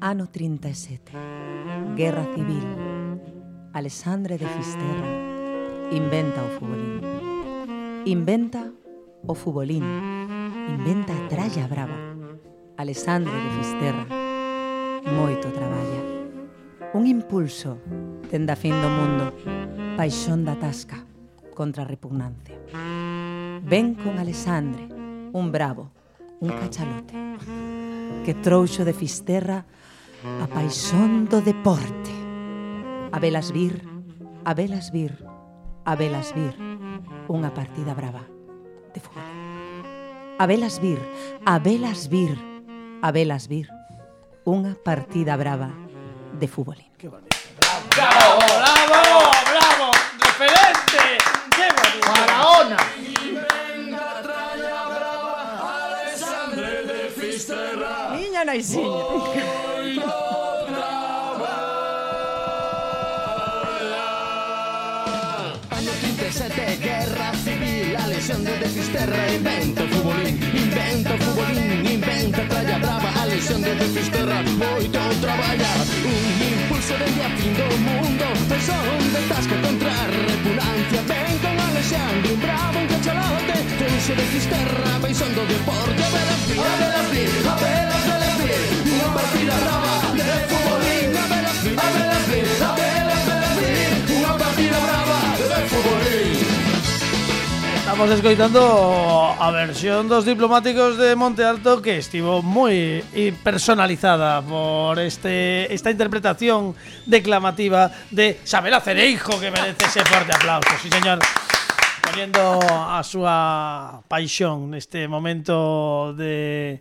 Ano trinta e sete. Guerra civil. Alexandre de Fisterra inventa o futbolín. Inventa o futbolín. inventa a tralla brava. Alexandre de Fisterra moito traballa. Un impulso tende a fin do mundo, paixón da tasca contra a repugnancia. Ven con Alexandre, un bravo, un cachalote, que trouxo de Fisterra a paixón do deporte. A velas vir, a velas vir, a velas vir, unha partida brava de fútbol. A velas vir, a velas vir, a velas vir, unha partida brava de fútbolín. Qué bonito. Bravo, bravo, bravo, referente. Qué bonito. Faraona. Niña Naisiña. Sete, guerra civil, la lesión de Fisterra, invento futbolín, invento futbolín, inventa tralla brava, a lesión de Fisterra, moito traballa, un impulso desde a fin do mundo, persón de tasca contra a repugnancia, ven con Alexandre, un bravo, un cachalote, trouxe de Fisterra, paixón do deporte, a velas vir, a velas vir, a velas, velas vir, unha partida brava de futbolín, a velas vir, a velas vir, a velas, velas vir, unha partida brava de futbolín. Estamos escoitando a versión dos diplomáticos de Monte Alto, que estivo moi personalizada por este esta interpretación declamativa de Sabela Cereijo, que merece ese forte aplauso. Sí, señor. Poniendo a súa paixón neste momento de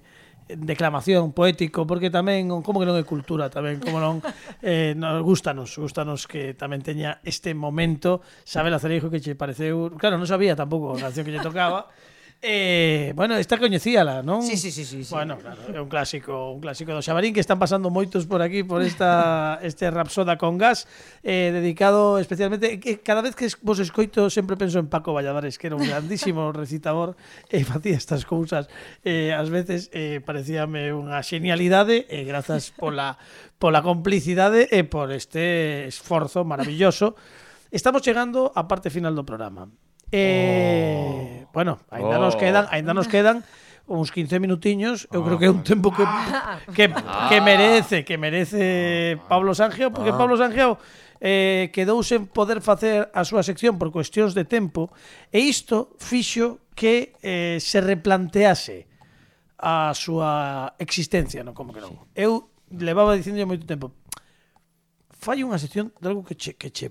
declamación poético, porque tamén, como que non é cultura tamén, como non, eh, nos gustanos, gustanos que tamén teña este momento. Sabela Cereijo, que che pareceu, claro, non sabía tampouco a canción que lle tocaba. Eh, bueno, esta coñecíala, non? Sí, sí, sí, sí, sí. Bueno, claro, é un clásico, un clásico do Xabarín, que están pasando moitos por aquí por esta este Rapsoda con gas, eh, dedicado especialmente, que cada vez que vos escoito sempre penso en Paco Valladares, que era un grandísimo recitador e eh, facía estas cousas, eh, ás veces eh, parecíame unha xenialidade, e eh, grazas pola pola complicidade e por este esforzo maravilloso. Estamos chegando á parte final do programa. Eh, oh. Bueno, ainda oh. nos quedan, ainda nos quedan uns quince minutiños. Eu creo que é un tempo que que, que merece, que merece Pablo Sangiao, porque Pablo Sangiao eh, quedou sen poder facer a súa sección por cuestións de tempo, e isto fixo que eh, se replantease a súa existencia, non, como que non. Eu levaba dicindo moito tempo, fai unha sección de algo que che, que che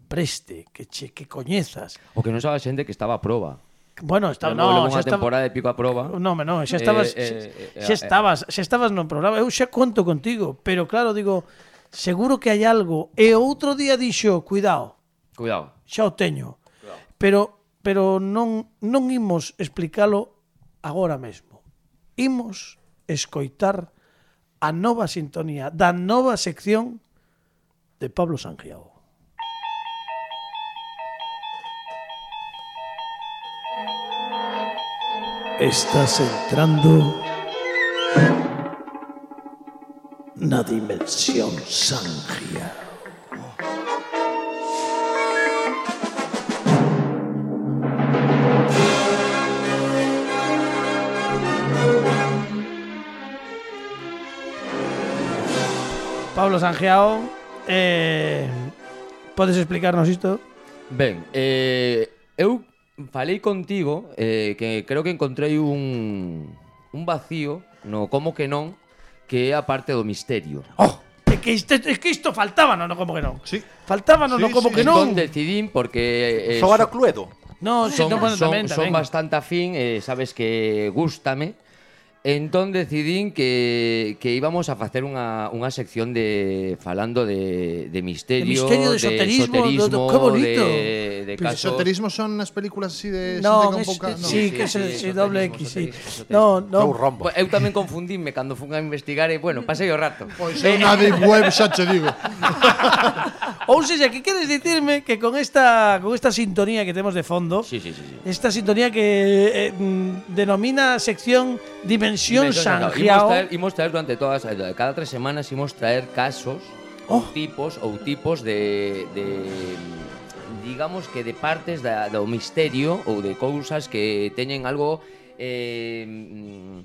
preste, que che que coñezas. O que non sabe a xente que estaba a proba. Bueno, estaba, no, no, xa estaba temporada de pico a proba. No, no, xa estabas eh, eh, xa, xa estabas, xa estabas no programa. Eu xa conto contigo, pero claro, digo, seguro que hai algo. E outro día dixo, cuidado. Cuidado. Xa o teño. Cuidado. Pero pero non non imos explicalo agora mesmo. Imos escoitar a nova sintonía da nova sección de Pablo Sangiao. Estás entrando na dimensión Sangiao. Pablo Sangiao, eh, podes explicarnos isto? Ben, eh, eu falei contigo eh, que creo que encontrei un, un vacío no como que non, que é a parte do misterio. Oh, é que isto, é que isto faltaba, no, no como que non. Sí. Faltaba, no, sí, no como sí. que non. Entón decidín porque eh, Son era Cluedo. No, sí, son, no, bueno, son, tamén, son tamén. bastante afín, eh, sabes que gústame. Entón decidín que, que íbamos a facer unha, unha sección de falando de, de misterio, de misterio, de esoterismo, de, esoterismo, do, do, que bonito. de, de Pero casos. esoterismo son as películas así de No, xente con es, pouca, no. sí, Sí, que sí, se sí, sí, doble X, sí. esoterismo, No, Eu no. rombo. Pues eu tamén confundíme cando fun a investigar e, bueno, pasei o rato. Pois é unha deep web, xa che digo. Ou seja, que queres dicirme que con esta con esta sintonía que temos de fondo, Sí, sí, sí, sí. esta sintonía que eh, mm, denomina sección Dimensión Sangiao. Imos traer, imos traer durante todas, cada tres semanas imos traer casos Oh. ou tipos ou tipos de, de digamos que de partes da, do misterio ou de cousas que teñen algo eh, mm,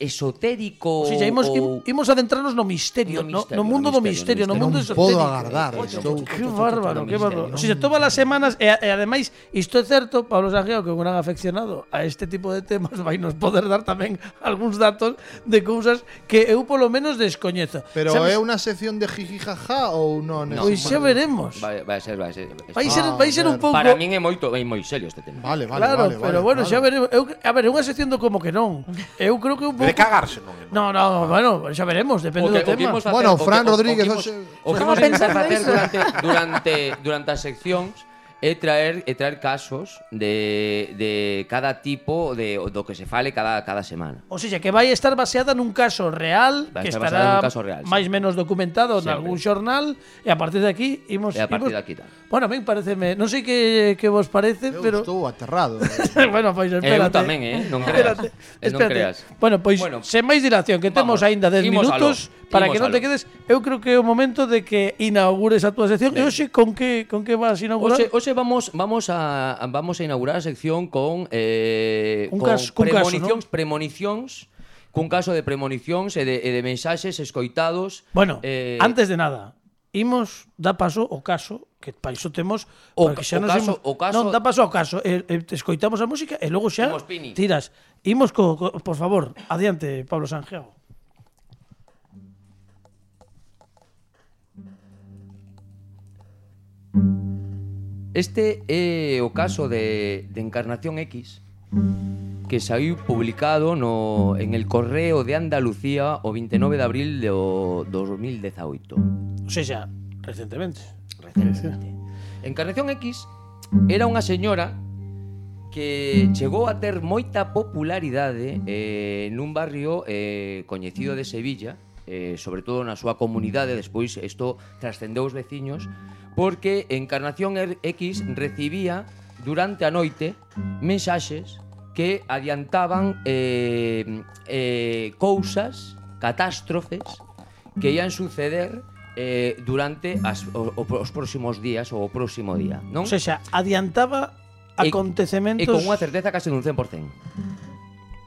esotérico. O sea, imos, ou... imos adentrarnos no misterio, no, No misterio, no mundo no do misterio, misterio, no mundo non esotérico. podo agardar. Estou Que bárbaro, que bárbaro. O misterio, sea, todas as semanas, e, e ademais, isto é certo, Pablo Sanjeo, que é un gran afeccionado a este tipo de temas, vai nos poder dar tamén algúns datos de cousas que eu polo menos descoñezo. Pero Sabes? é unha sección de jiji jaja ou non? No. Pois xa veremos. Vai, vai ser, vai ser. Vai ser, Ah, vai ser un ver. pouco... Para min é moito, é moi serio este tema. Vale, vale, Claro, vale, pero vale, bueno, vale. xa veremos. Eu, a ver, é unha sección do como que non. Eu creo que un pouco... De cagarse, non. No, no, bueno, xa veremos, depende O que- do o que tema. imos facer- Bueno, o que- Fran o- Rodríguez, o que imos- hoxe- o que Estaba imos a pensando facer iso. durante, durante, durante as seccións é traer é traer casos de, de cada tipo de do que se fale cada cada semana. O sea, que vai estar baseada nun caso real, Vai que estar basada estará nun caso real, sí. máis menos documentado en Sempre. algún xornal, e a partir de aquí imos... E a partir imos- de aquí tal. Bueno, a mí pareceme... Non sei que, que vos parece, Eu pero... estou aterrado. bueno, pois Eu espérate. tamén, eh, non creas. Espérate, Eh, non espérate. creas. Bueno, pois, Bueno, sen máis dilación, que temos vamos, aínda dez imos minutos, aló, para imos que non te aló. quedes, eu creo que é o momento de que inaugures a túa sección. E Ben. hoxe, con que, con que vas a inaugurar? Hoxe, hoxe vamos vamos a vamos a inaugurar a sección con eh Un con caso- cun caso, premonicións, premonicións, cun caso de premonicións e de, e de mensaxes escoitados. Bueno, eh, antes de nada, imos dar paso ao caso, que pa iso temos... O porque ca- o caso- imos- o caso- Non, da paso ao caso. E, e, escoitamos a música e logo xa Imos, Pini. tiras. Imos co, co... Por favor, adiante, Pablo Sanjeo. Este é o caso de, de Encarnación X, que saiu publicado no, en el Correo de Andalucía o vinte e nove de abril do dos mil dezaoito. O sea, recentemente. Recentemente. Encarnación X era unha señora que chegou a ter moita popularidade eh, nun barrio eh, coñecido de Sevilla, eh, sobre todo na súa comunidade. Despois isto trascendeu os veciños, porque Encarnación X recibía durante a noite mensaxes que adiantaban eh, eh, cousas, catástrofes que ian suceder eh, durante as, o, o, os próximos días ou o próximo día, non? O sea, adiantaba E- acontecementos... E con unha certeza case dun cen por cen.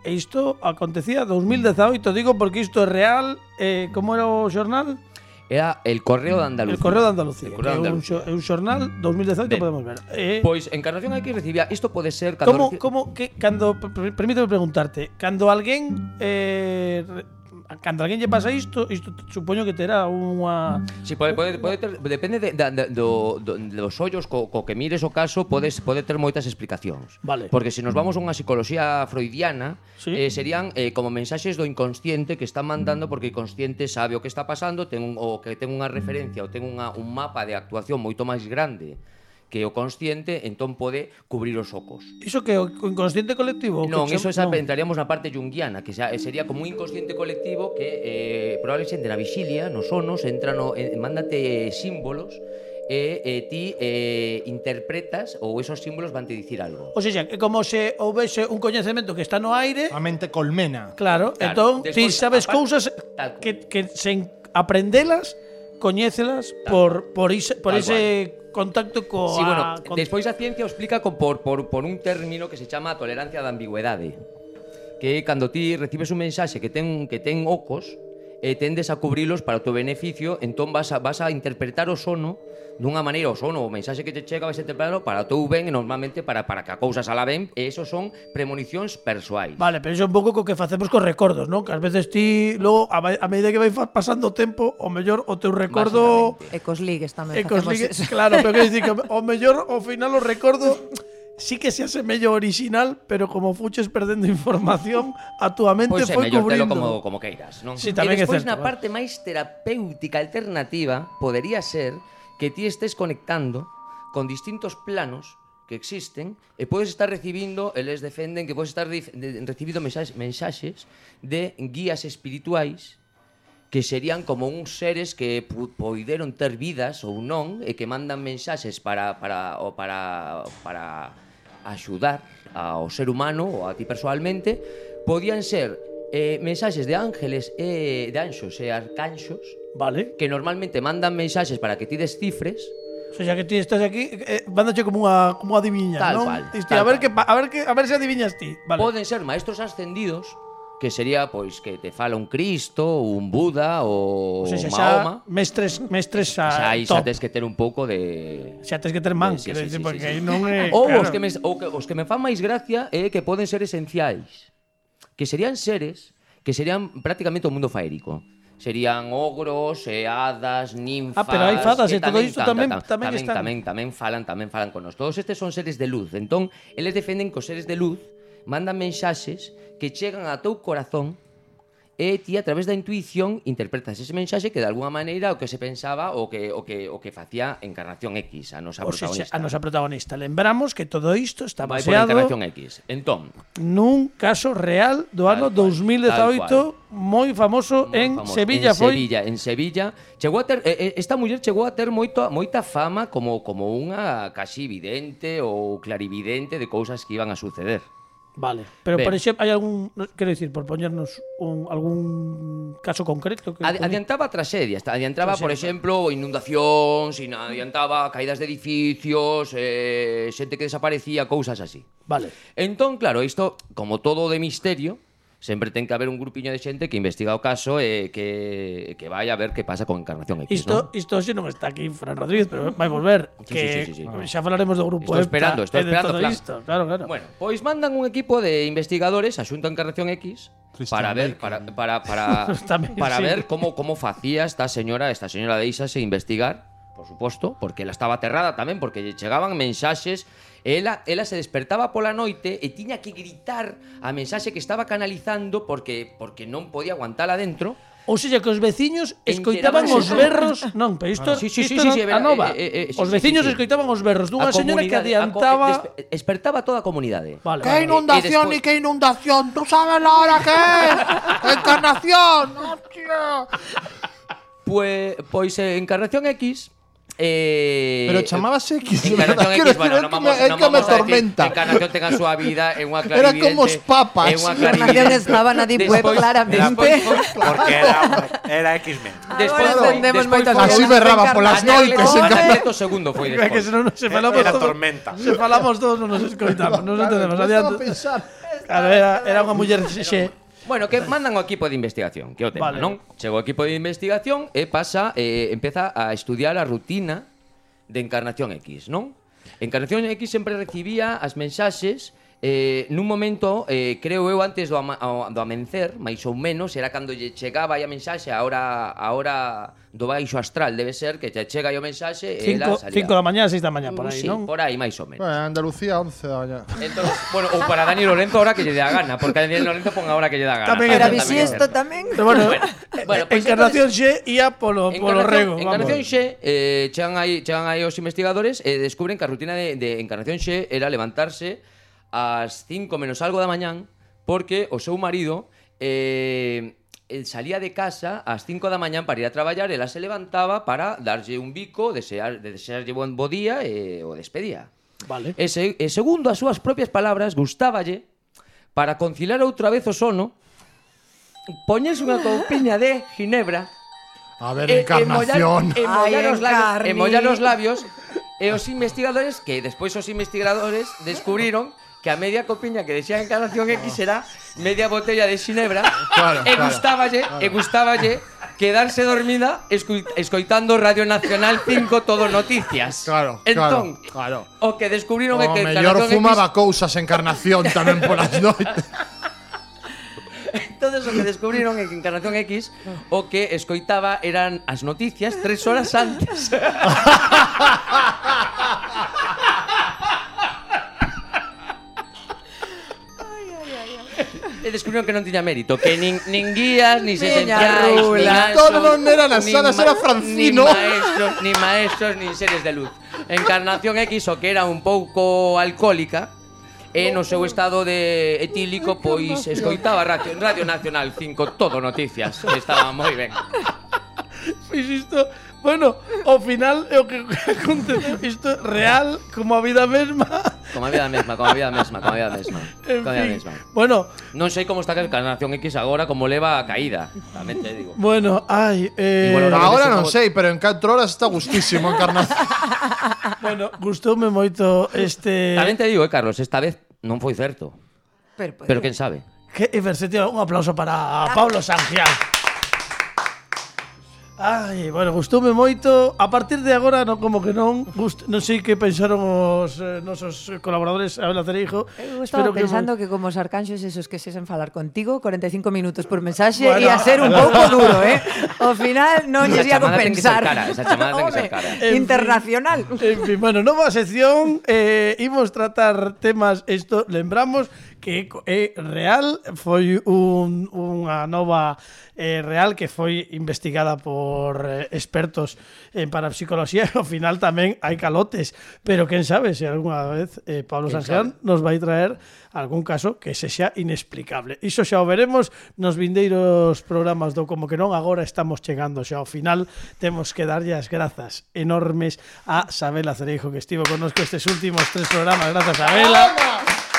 E isto acontecía dos mil dezaoito, digo porque isto é real. Eh, como era o xornal? Era el Correo de Andalucía. El Correo de Andalucía, El Correo de que é un, Andalucía. xo- é un xornal dos mil dezaoito, Ben. podemos ver. Eh, Pois Encarnación X recibía, isto pode ser cando como, reci- como que cando per- permíteme preguntarte, cando alguén eh, re- cando alguén lle pasa isto, isto supoño que terá unha Sí, pode, pode, pode ter, depende de, da- da- do, do, dos ollos co, co que mires o caso, podes pode ter moitas explicacións. Vale. Porque se nos vamos a unha psicología freudiana, Sí. eh, serían eh, como mensaxes do inconsciente que están mandando, porque o inconsciente sabe o que está pasando, ten un, o que ten unha referencia ou ten unha, un mapa de actuación moito máis grande que o consciente, entón pode cubrir os ocos. iso que o o inconsciente colectivo. o que Non, cham- iso esa, non. entraríamos na parte junguiana, que xa, sería como un inconsciente colectivo que eh, probablemente na vixilia, nos sonos, entra no, eh, mándate símbolos e eh, ti eh, interpretas ou esos símbolos van te dicir algo. O sea, que como se houvese un coñecemento que está no aire, A mente colmena. claro, Claro, entón ti despois, sabes aparte- cousas tal cual. que, que sen aprendelas, coñécelas por por ese, por Tal ese contacto co Sí, bueno, con- despois a ciencia o explica con, por, por, por un término que se chama tolerancia da ambigüedade, que é cando ti recibes un mensaxe que ten que ten ocos e tendes a cubrilos para o teu beneficio, entón vas a, vas a interpretar o sono dunha maneira, o sono, o mensaxe que te chega vas a interpretarlo para o teu ben e normalmente para, para que a cousa sala ben, e esos son premonicións persoais. Vale, pero iso é un pouco co que facemos cos recordos, non? Que ás veces ti, logo, a, vai- a medida que vai fa- pasando o tempo, o mellor o teu recordo... Basicamente. E cos ligues tamén E cos facemos ligue- eso. claro, pero que dicir que o mellor, ao final, o recordo sí que se asemella ao original, pero como fuches perdendo información, a túa mente Pois é, foi mellor telo cubrindo. como, como queiras, non? Sí, tamén e é despois certo, na vale. parte máis terapéutica alternativa podería ser que ti estés conectando con distintos planos que existen e podes estar recibindo, eles defenden que podes estar dif- de- recibindo mensaxes, mensaxes de guías espirituais que serían como uns seres que pu- poideron ter vidas ou non e que mandan mensaxes para para o para para axudar ao ser humano ou a ti persoalmente. Podían ser eh, mensaxes de ángeles e de anxos e arcanxos Vale. que normalmente mandan mensaxes para que ti descifres O sea, que ti estás aquí, eh, mándache como unha como adiviña, Tal ¿no? cual, Dices, tal a ver cual. que pa- a ver que a ver se adiviñas ti. Vale. Poden ser maestros ascendidos, que sería pois que te fala un Cristo, un Buda ou O sea, xa, xa Mahoma. mestres mestres a Xa aí xa top. tes que ter un pouco de Xa tes que ter man, Sí, quero sí, dicir, sí, porque sí, aí sí. non é Ou claro. os que me ou que os que me fan máis gracia é que poden ser esenciais, que serían seres que serían prácticamente o mundo faérico. Serían ogros, e hadas, ninfas. Ah, pero hai fadas que e todo isto tamén- tamén tamén, están. tamén, tamén falan, tamén falan con nós. Todos estes son seres de luz. Entón, eles defenden que os seres de luz mandan mensaxes que chegan a teu corazón e ti a través da intuición interpretas ese mensaxe que de alguna maneira o que se pensaba o que o que o que facía Encarnación X, a nosa O sea, protagonista. a nosa protagonista. Lembramos que todo isto está Vai por baseado Encarnación X. Entón, nun caso real do Tal ano cual, dous mil dezaoito, tal moi famoso moi en famoso. Sevilla en foi. Sevilla, en Sevilla, chegou a ter eh, eh, esta muller chegou a ter moito moita fama como como unha casi vidente ou clarividente de cousas que iban a suceder. Vale, pero Ben. por exemplo, hai algún, no, quero dicir, por poñernos un, algún caso concreto que Adi- Adiantaba tragedias, ta- adiantaba, por exemplo, inundacións, ina- adiantaba caídas de edificios, eh, xente que desaparecía, cousas así. Vale. Entón, claro, isto, como todo de misterio, sempre ten que haber un grupiño de xente que investiga o caso e que, que vai a ver que pasa con Encarnación X, Isto, ¿no? isto hoxe non está aquí Fran Rodríguez, pero vai volver. Sí, que sí, sí, sí, sí. xa falaremos do grupo Estou EPTA esperando, e estou de esperando, todo Fran. isto. Claro, claro. Bueno, pois mandan un equipo de investigadores a Xunta Encarnación X Christian para ver Bale, para para para Tamén, para sí. ver como como facía esta señora, esta señora deixase investigar, por suposto, porque ela estaba aterrada tamén porque lle chegaban mensaxes. Ela, ela se despertaba pola noite e tiña que gritar a mensaxe que estaba canalizando porque porque non podía aguantala dentro. Ou seja, que os veciños escoitaban os Enterábanse. berros. Non, pero isto, Sí, sí, sí, isto sí, non- sí, a verá, nova. eh, eh, eh, sí, os sí, veciños sí, sí. escoitaban os berros dunha A señora que comunidade, a co- adiantaba. despe- despertaba toda a comunidade. Vale, ¡Qué vale. inundación Y ni qué inundación! ¿Tú sabes la hora que es? ¡Encarnación! ¡Hostia! Pues, pois eh, Encarnación X eh, Pero chamábase X, de Encarnación verdad, X, quiero bueno, decir, non é que vamos, me- é non que me vamos a decir tormenta. Encarnación ten a súa vida, é unha Era clarividente. como os papas. É unha Encarnación clarividente. estaba na Deep Web Despois- claramente. despois- Porque era, era X-Men. Despois Agora foi- entendemos despois moitas foi- Así cousas. berraba polas Encarnación noites, X. en Anacleto segundo foi É que despois. se non se falamos Era todos, tormenta. se falamos todos non nos escoitamos, non nos entendemos. Claro, Adiante. estaba a pensar. Claro, era, era unha muller xe. Bueno, que mandan o equipo de investigación, que é o tema, Vale. non? Chegou o equipo de investigación e pasa, eh, empeza a estudiar a rutina de Encarnación X, non? Encarnación X sempre recibía as mensaxes eh, nun momento, eh, creo eu, antes do, ama, ao- do amencer, máis ou menos, era cando lle chegaba aí a mensaxe, a hora, a hora do baixo astral, debe ser, que te chega aí o mensaxe e ela salía. cinco da mañá, seis da mañá, por aí, sí, non? por aí, máis ou menos. Bueno, Andalucía, once da mañá. Entón, bueno, ou para Dani Lorenzo ahora que lle dé a gana, porque a Dani Lorenzo pon a hora que lle dá a gana. Tamén é Era Tamén bisiesto tamén. Pero bueno, Bueno, bueno, eh, pues Encarnación xe ia polo, polo rego. Encarnación vamos. Xe, eh, chegan aí, chegan aí os investigadores e descubren que a rutina de, de Encarnación Xe era levantarse ás cinco menos algo da mañán porque o seu marido eh, el salía de casa ás cinco da mañán para ir a traballar, ela se levantaba para darlle un bico, desear, de desearlle bon bo día e o despedía. Vale. E, se, e segundo as súas propias palabras, gustáballe para conciliar outra vez o sono poñerse unha coupiña de ginebra A ver, e, Encarnación. e mollar, Ay, e mollar os labios, Encarni. e mollar os labios e os investigadores que despois os investigadores descubriron que a media copiña que decía Encarnación X era media botella de xinebra Claro, e claro, gustáballe e gustáballe quedarse dormida escu- escoitando Radio Nacional cinco Todo Noticias. Claro, Entón, claro, claro. o que descubriron é O que mellor Encarnación fumaba X, cousas Encarnación tamén polas noites. entonces o que descubriron é que Encarnación X o que escoitaba eran as noticias tres horas antes. E descubriron que non tiña mérito, que nin, nin guías, nin Miña sesenciais, nin rula. anxos, Todo non eran as nin salas, ma- era Francino. Nin maestros, nin maestros, nin seres de luz. Encarnación X, o que era un pouco alcohólica, e no seu estado de etílico, pois escoitaba Radio, Radio Nacional cinco Todo Noticias, que estaba moi ben. Pois isto, bueno, ao final é o que aconteceu, isto é real como a vida mesma. Como a vida mesma, como a vida mesma, como a vida mesma. En Como a vida fin. mesma. Bueno, Non sei como está a Encarnación X agora, como leva a caída. Tamén te digo. bueno, ai, eh, Igual ahora- Ahora ese non como- sei, pero en catro horas está gustísimo Encarnación. bueno, gustoume moito este Tamén te digo, eh, Carlos, esta vez non foi certo. Pero, Pero quen sabe? que Ibersetio, un aplauso para Pablo Sangial. Ai, bueno, gustoume moito. A partir de agora, non como que non, gust, non sei que pensaron os eh, nosos colaboradores Abela Cereijo. Eu estaba Espero pensando que, que como os arcanxos esos que sesen falar contigo corenta e cinco minutos por mensaxe Bueno. ia ser un pouco duro, eh? Ao final non Esa lles ia chamada ten que ser compensar. cara, esa chamada ten que ser Home, cara. En fin. Internacional. En fin, bueno, nova sección, eh, imos tratar temas, isto lembramos que é real, foi un, unha nova eh, real que foi investigada por eh, expertos en parapsicología e ao final tamén hai calotes, pero quen sabe se algunha vez eh, Pablo Quen Sanjean nos vai traer algún caso que sexa inexplicable. Iso xa o veremos nos vindeiros programas do Como que non, agora estamos chegando xa ao final, temos que darlle as grazas enormes a Sabela Cereijo que estivo connosco estes últimos tres programas. Grazas, Sabela.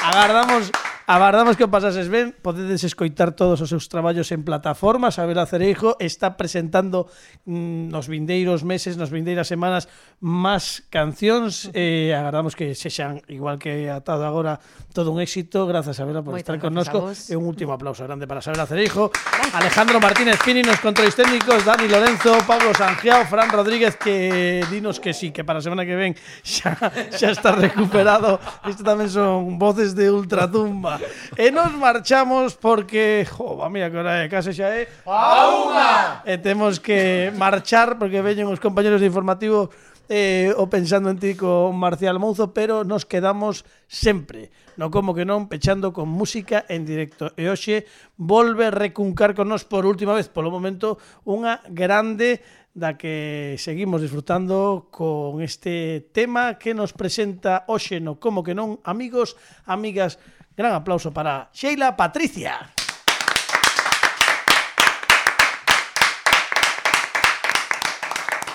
Agardamos Agardamos que o pasases ben. Podedes escoitar todos os seus traballos en plataformas. Sabela Cereijo está presentando mm, nos vindeiros meses, nos vindeiras semanas máis cancións. Eh, agardamos que sexan, igual que atado agora, todo un éxito. Grazas, Sabela, por Moitas estar grazas connosco. a vos. E un último aplauso grande para Sabela Cereijo. Alejandro Martínez Pini nos controles técnicos, Dani Lorenzo, Pablo Sangiao, Fran Rodríguez, que dinos que sí, que para a semana que ven xa, xa está recuperado. Isto tamén son voces de ultratumba. E nos marchamos porque, jo, va, mira que hora é, case xa é a unha. E temos que marchar porque veñen os compañeros de informativo eh, o Pensando en ti con Marcial Mouzo, pero nos quedamos sempre, no como que non, pechando con música en directo. E hoxe volve recuncar con nos por última vez, polo momento, unha grande da que seguimos disfrutando con este tema que nos presenta hoxe no Como que non, amigos, amigas. Gran aplauso para Sheila Patricia.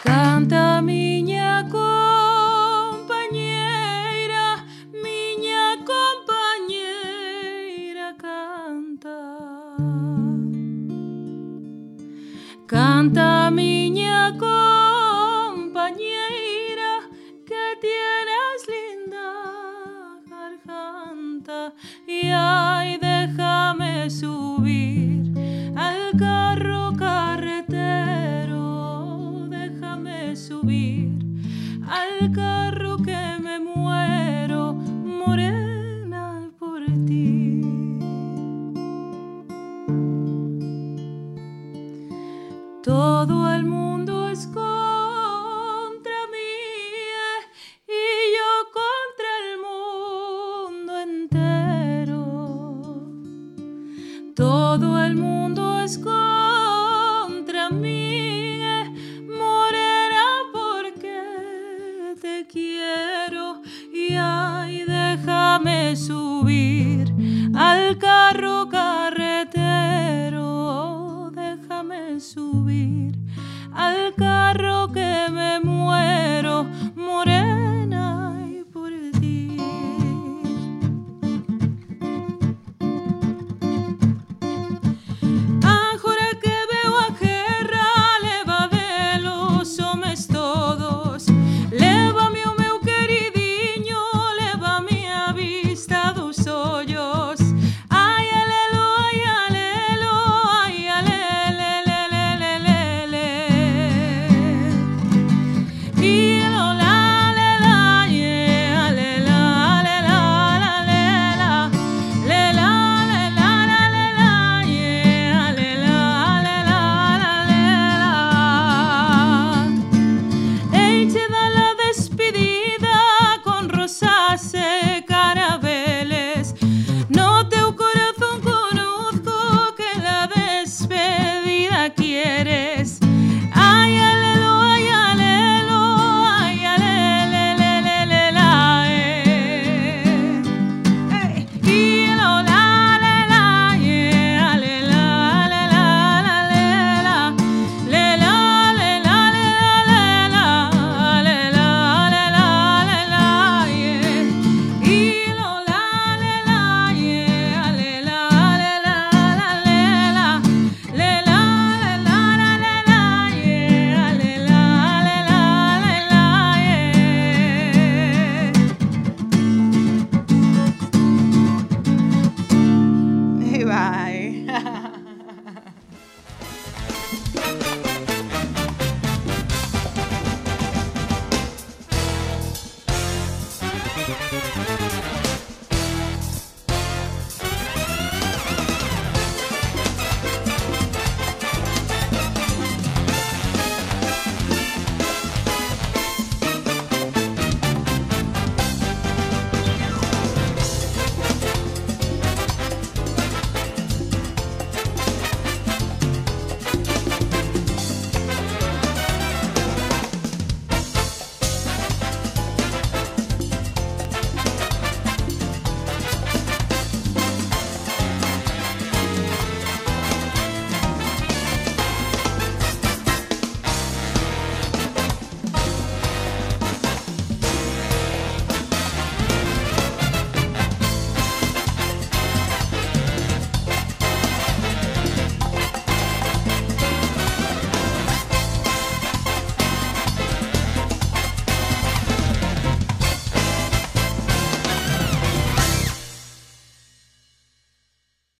Canta miña compañeira, miña compañeira canta. Canta miña compañeira que tienes linda garganta y ay déjame subir al carro carretero, déjame subir al carro que me muero morena por ti. Todo el mundo es contra mí y yo contra el mundo entero. Todo el mundo es contra mí, morena, porque te quiero y ay, déjame subir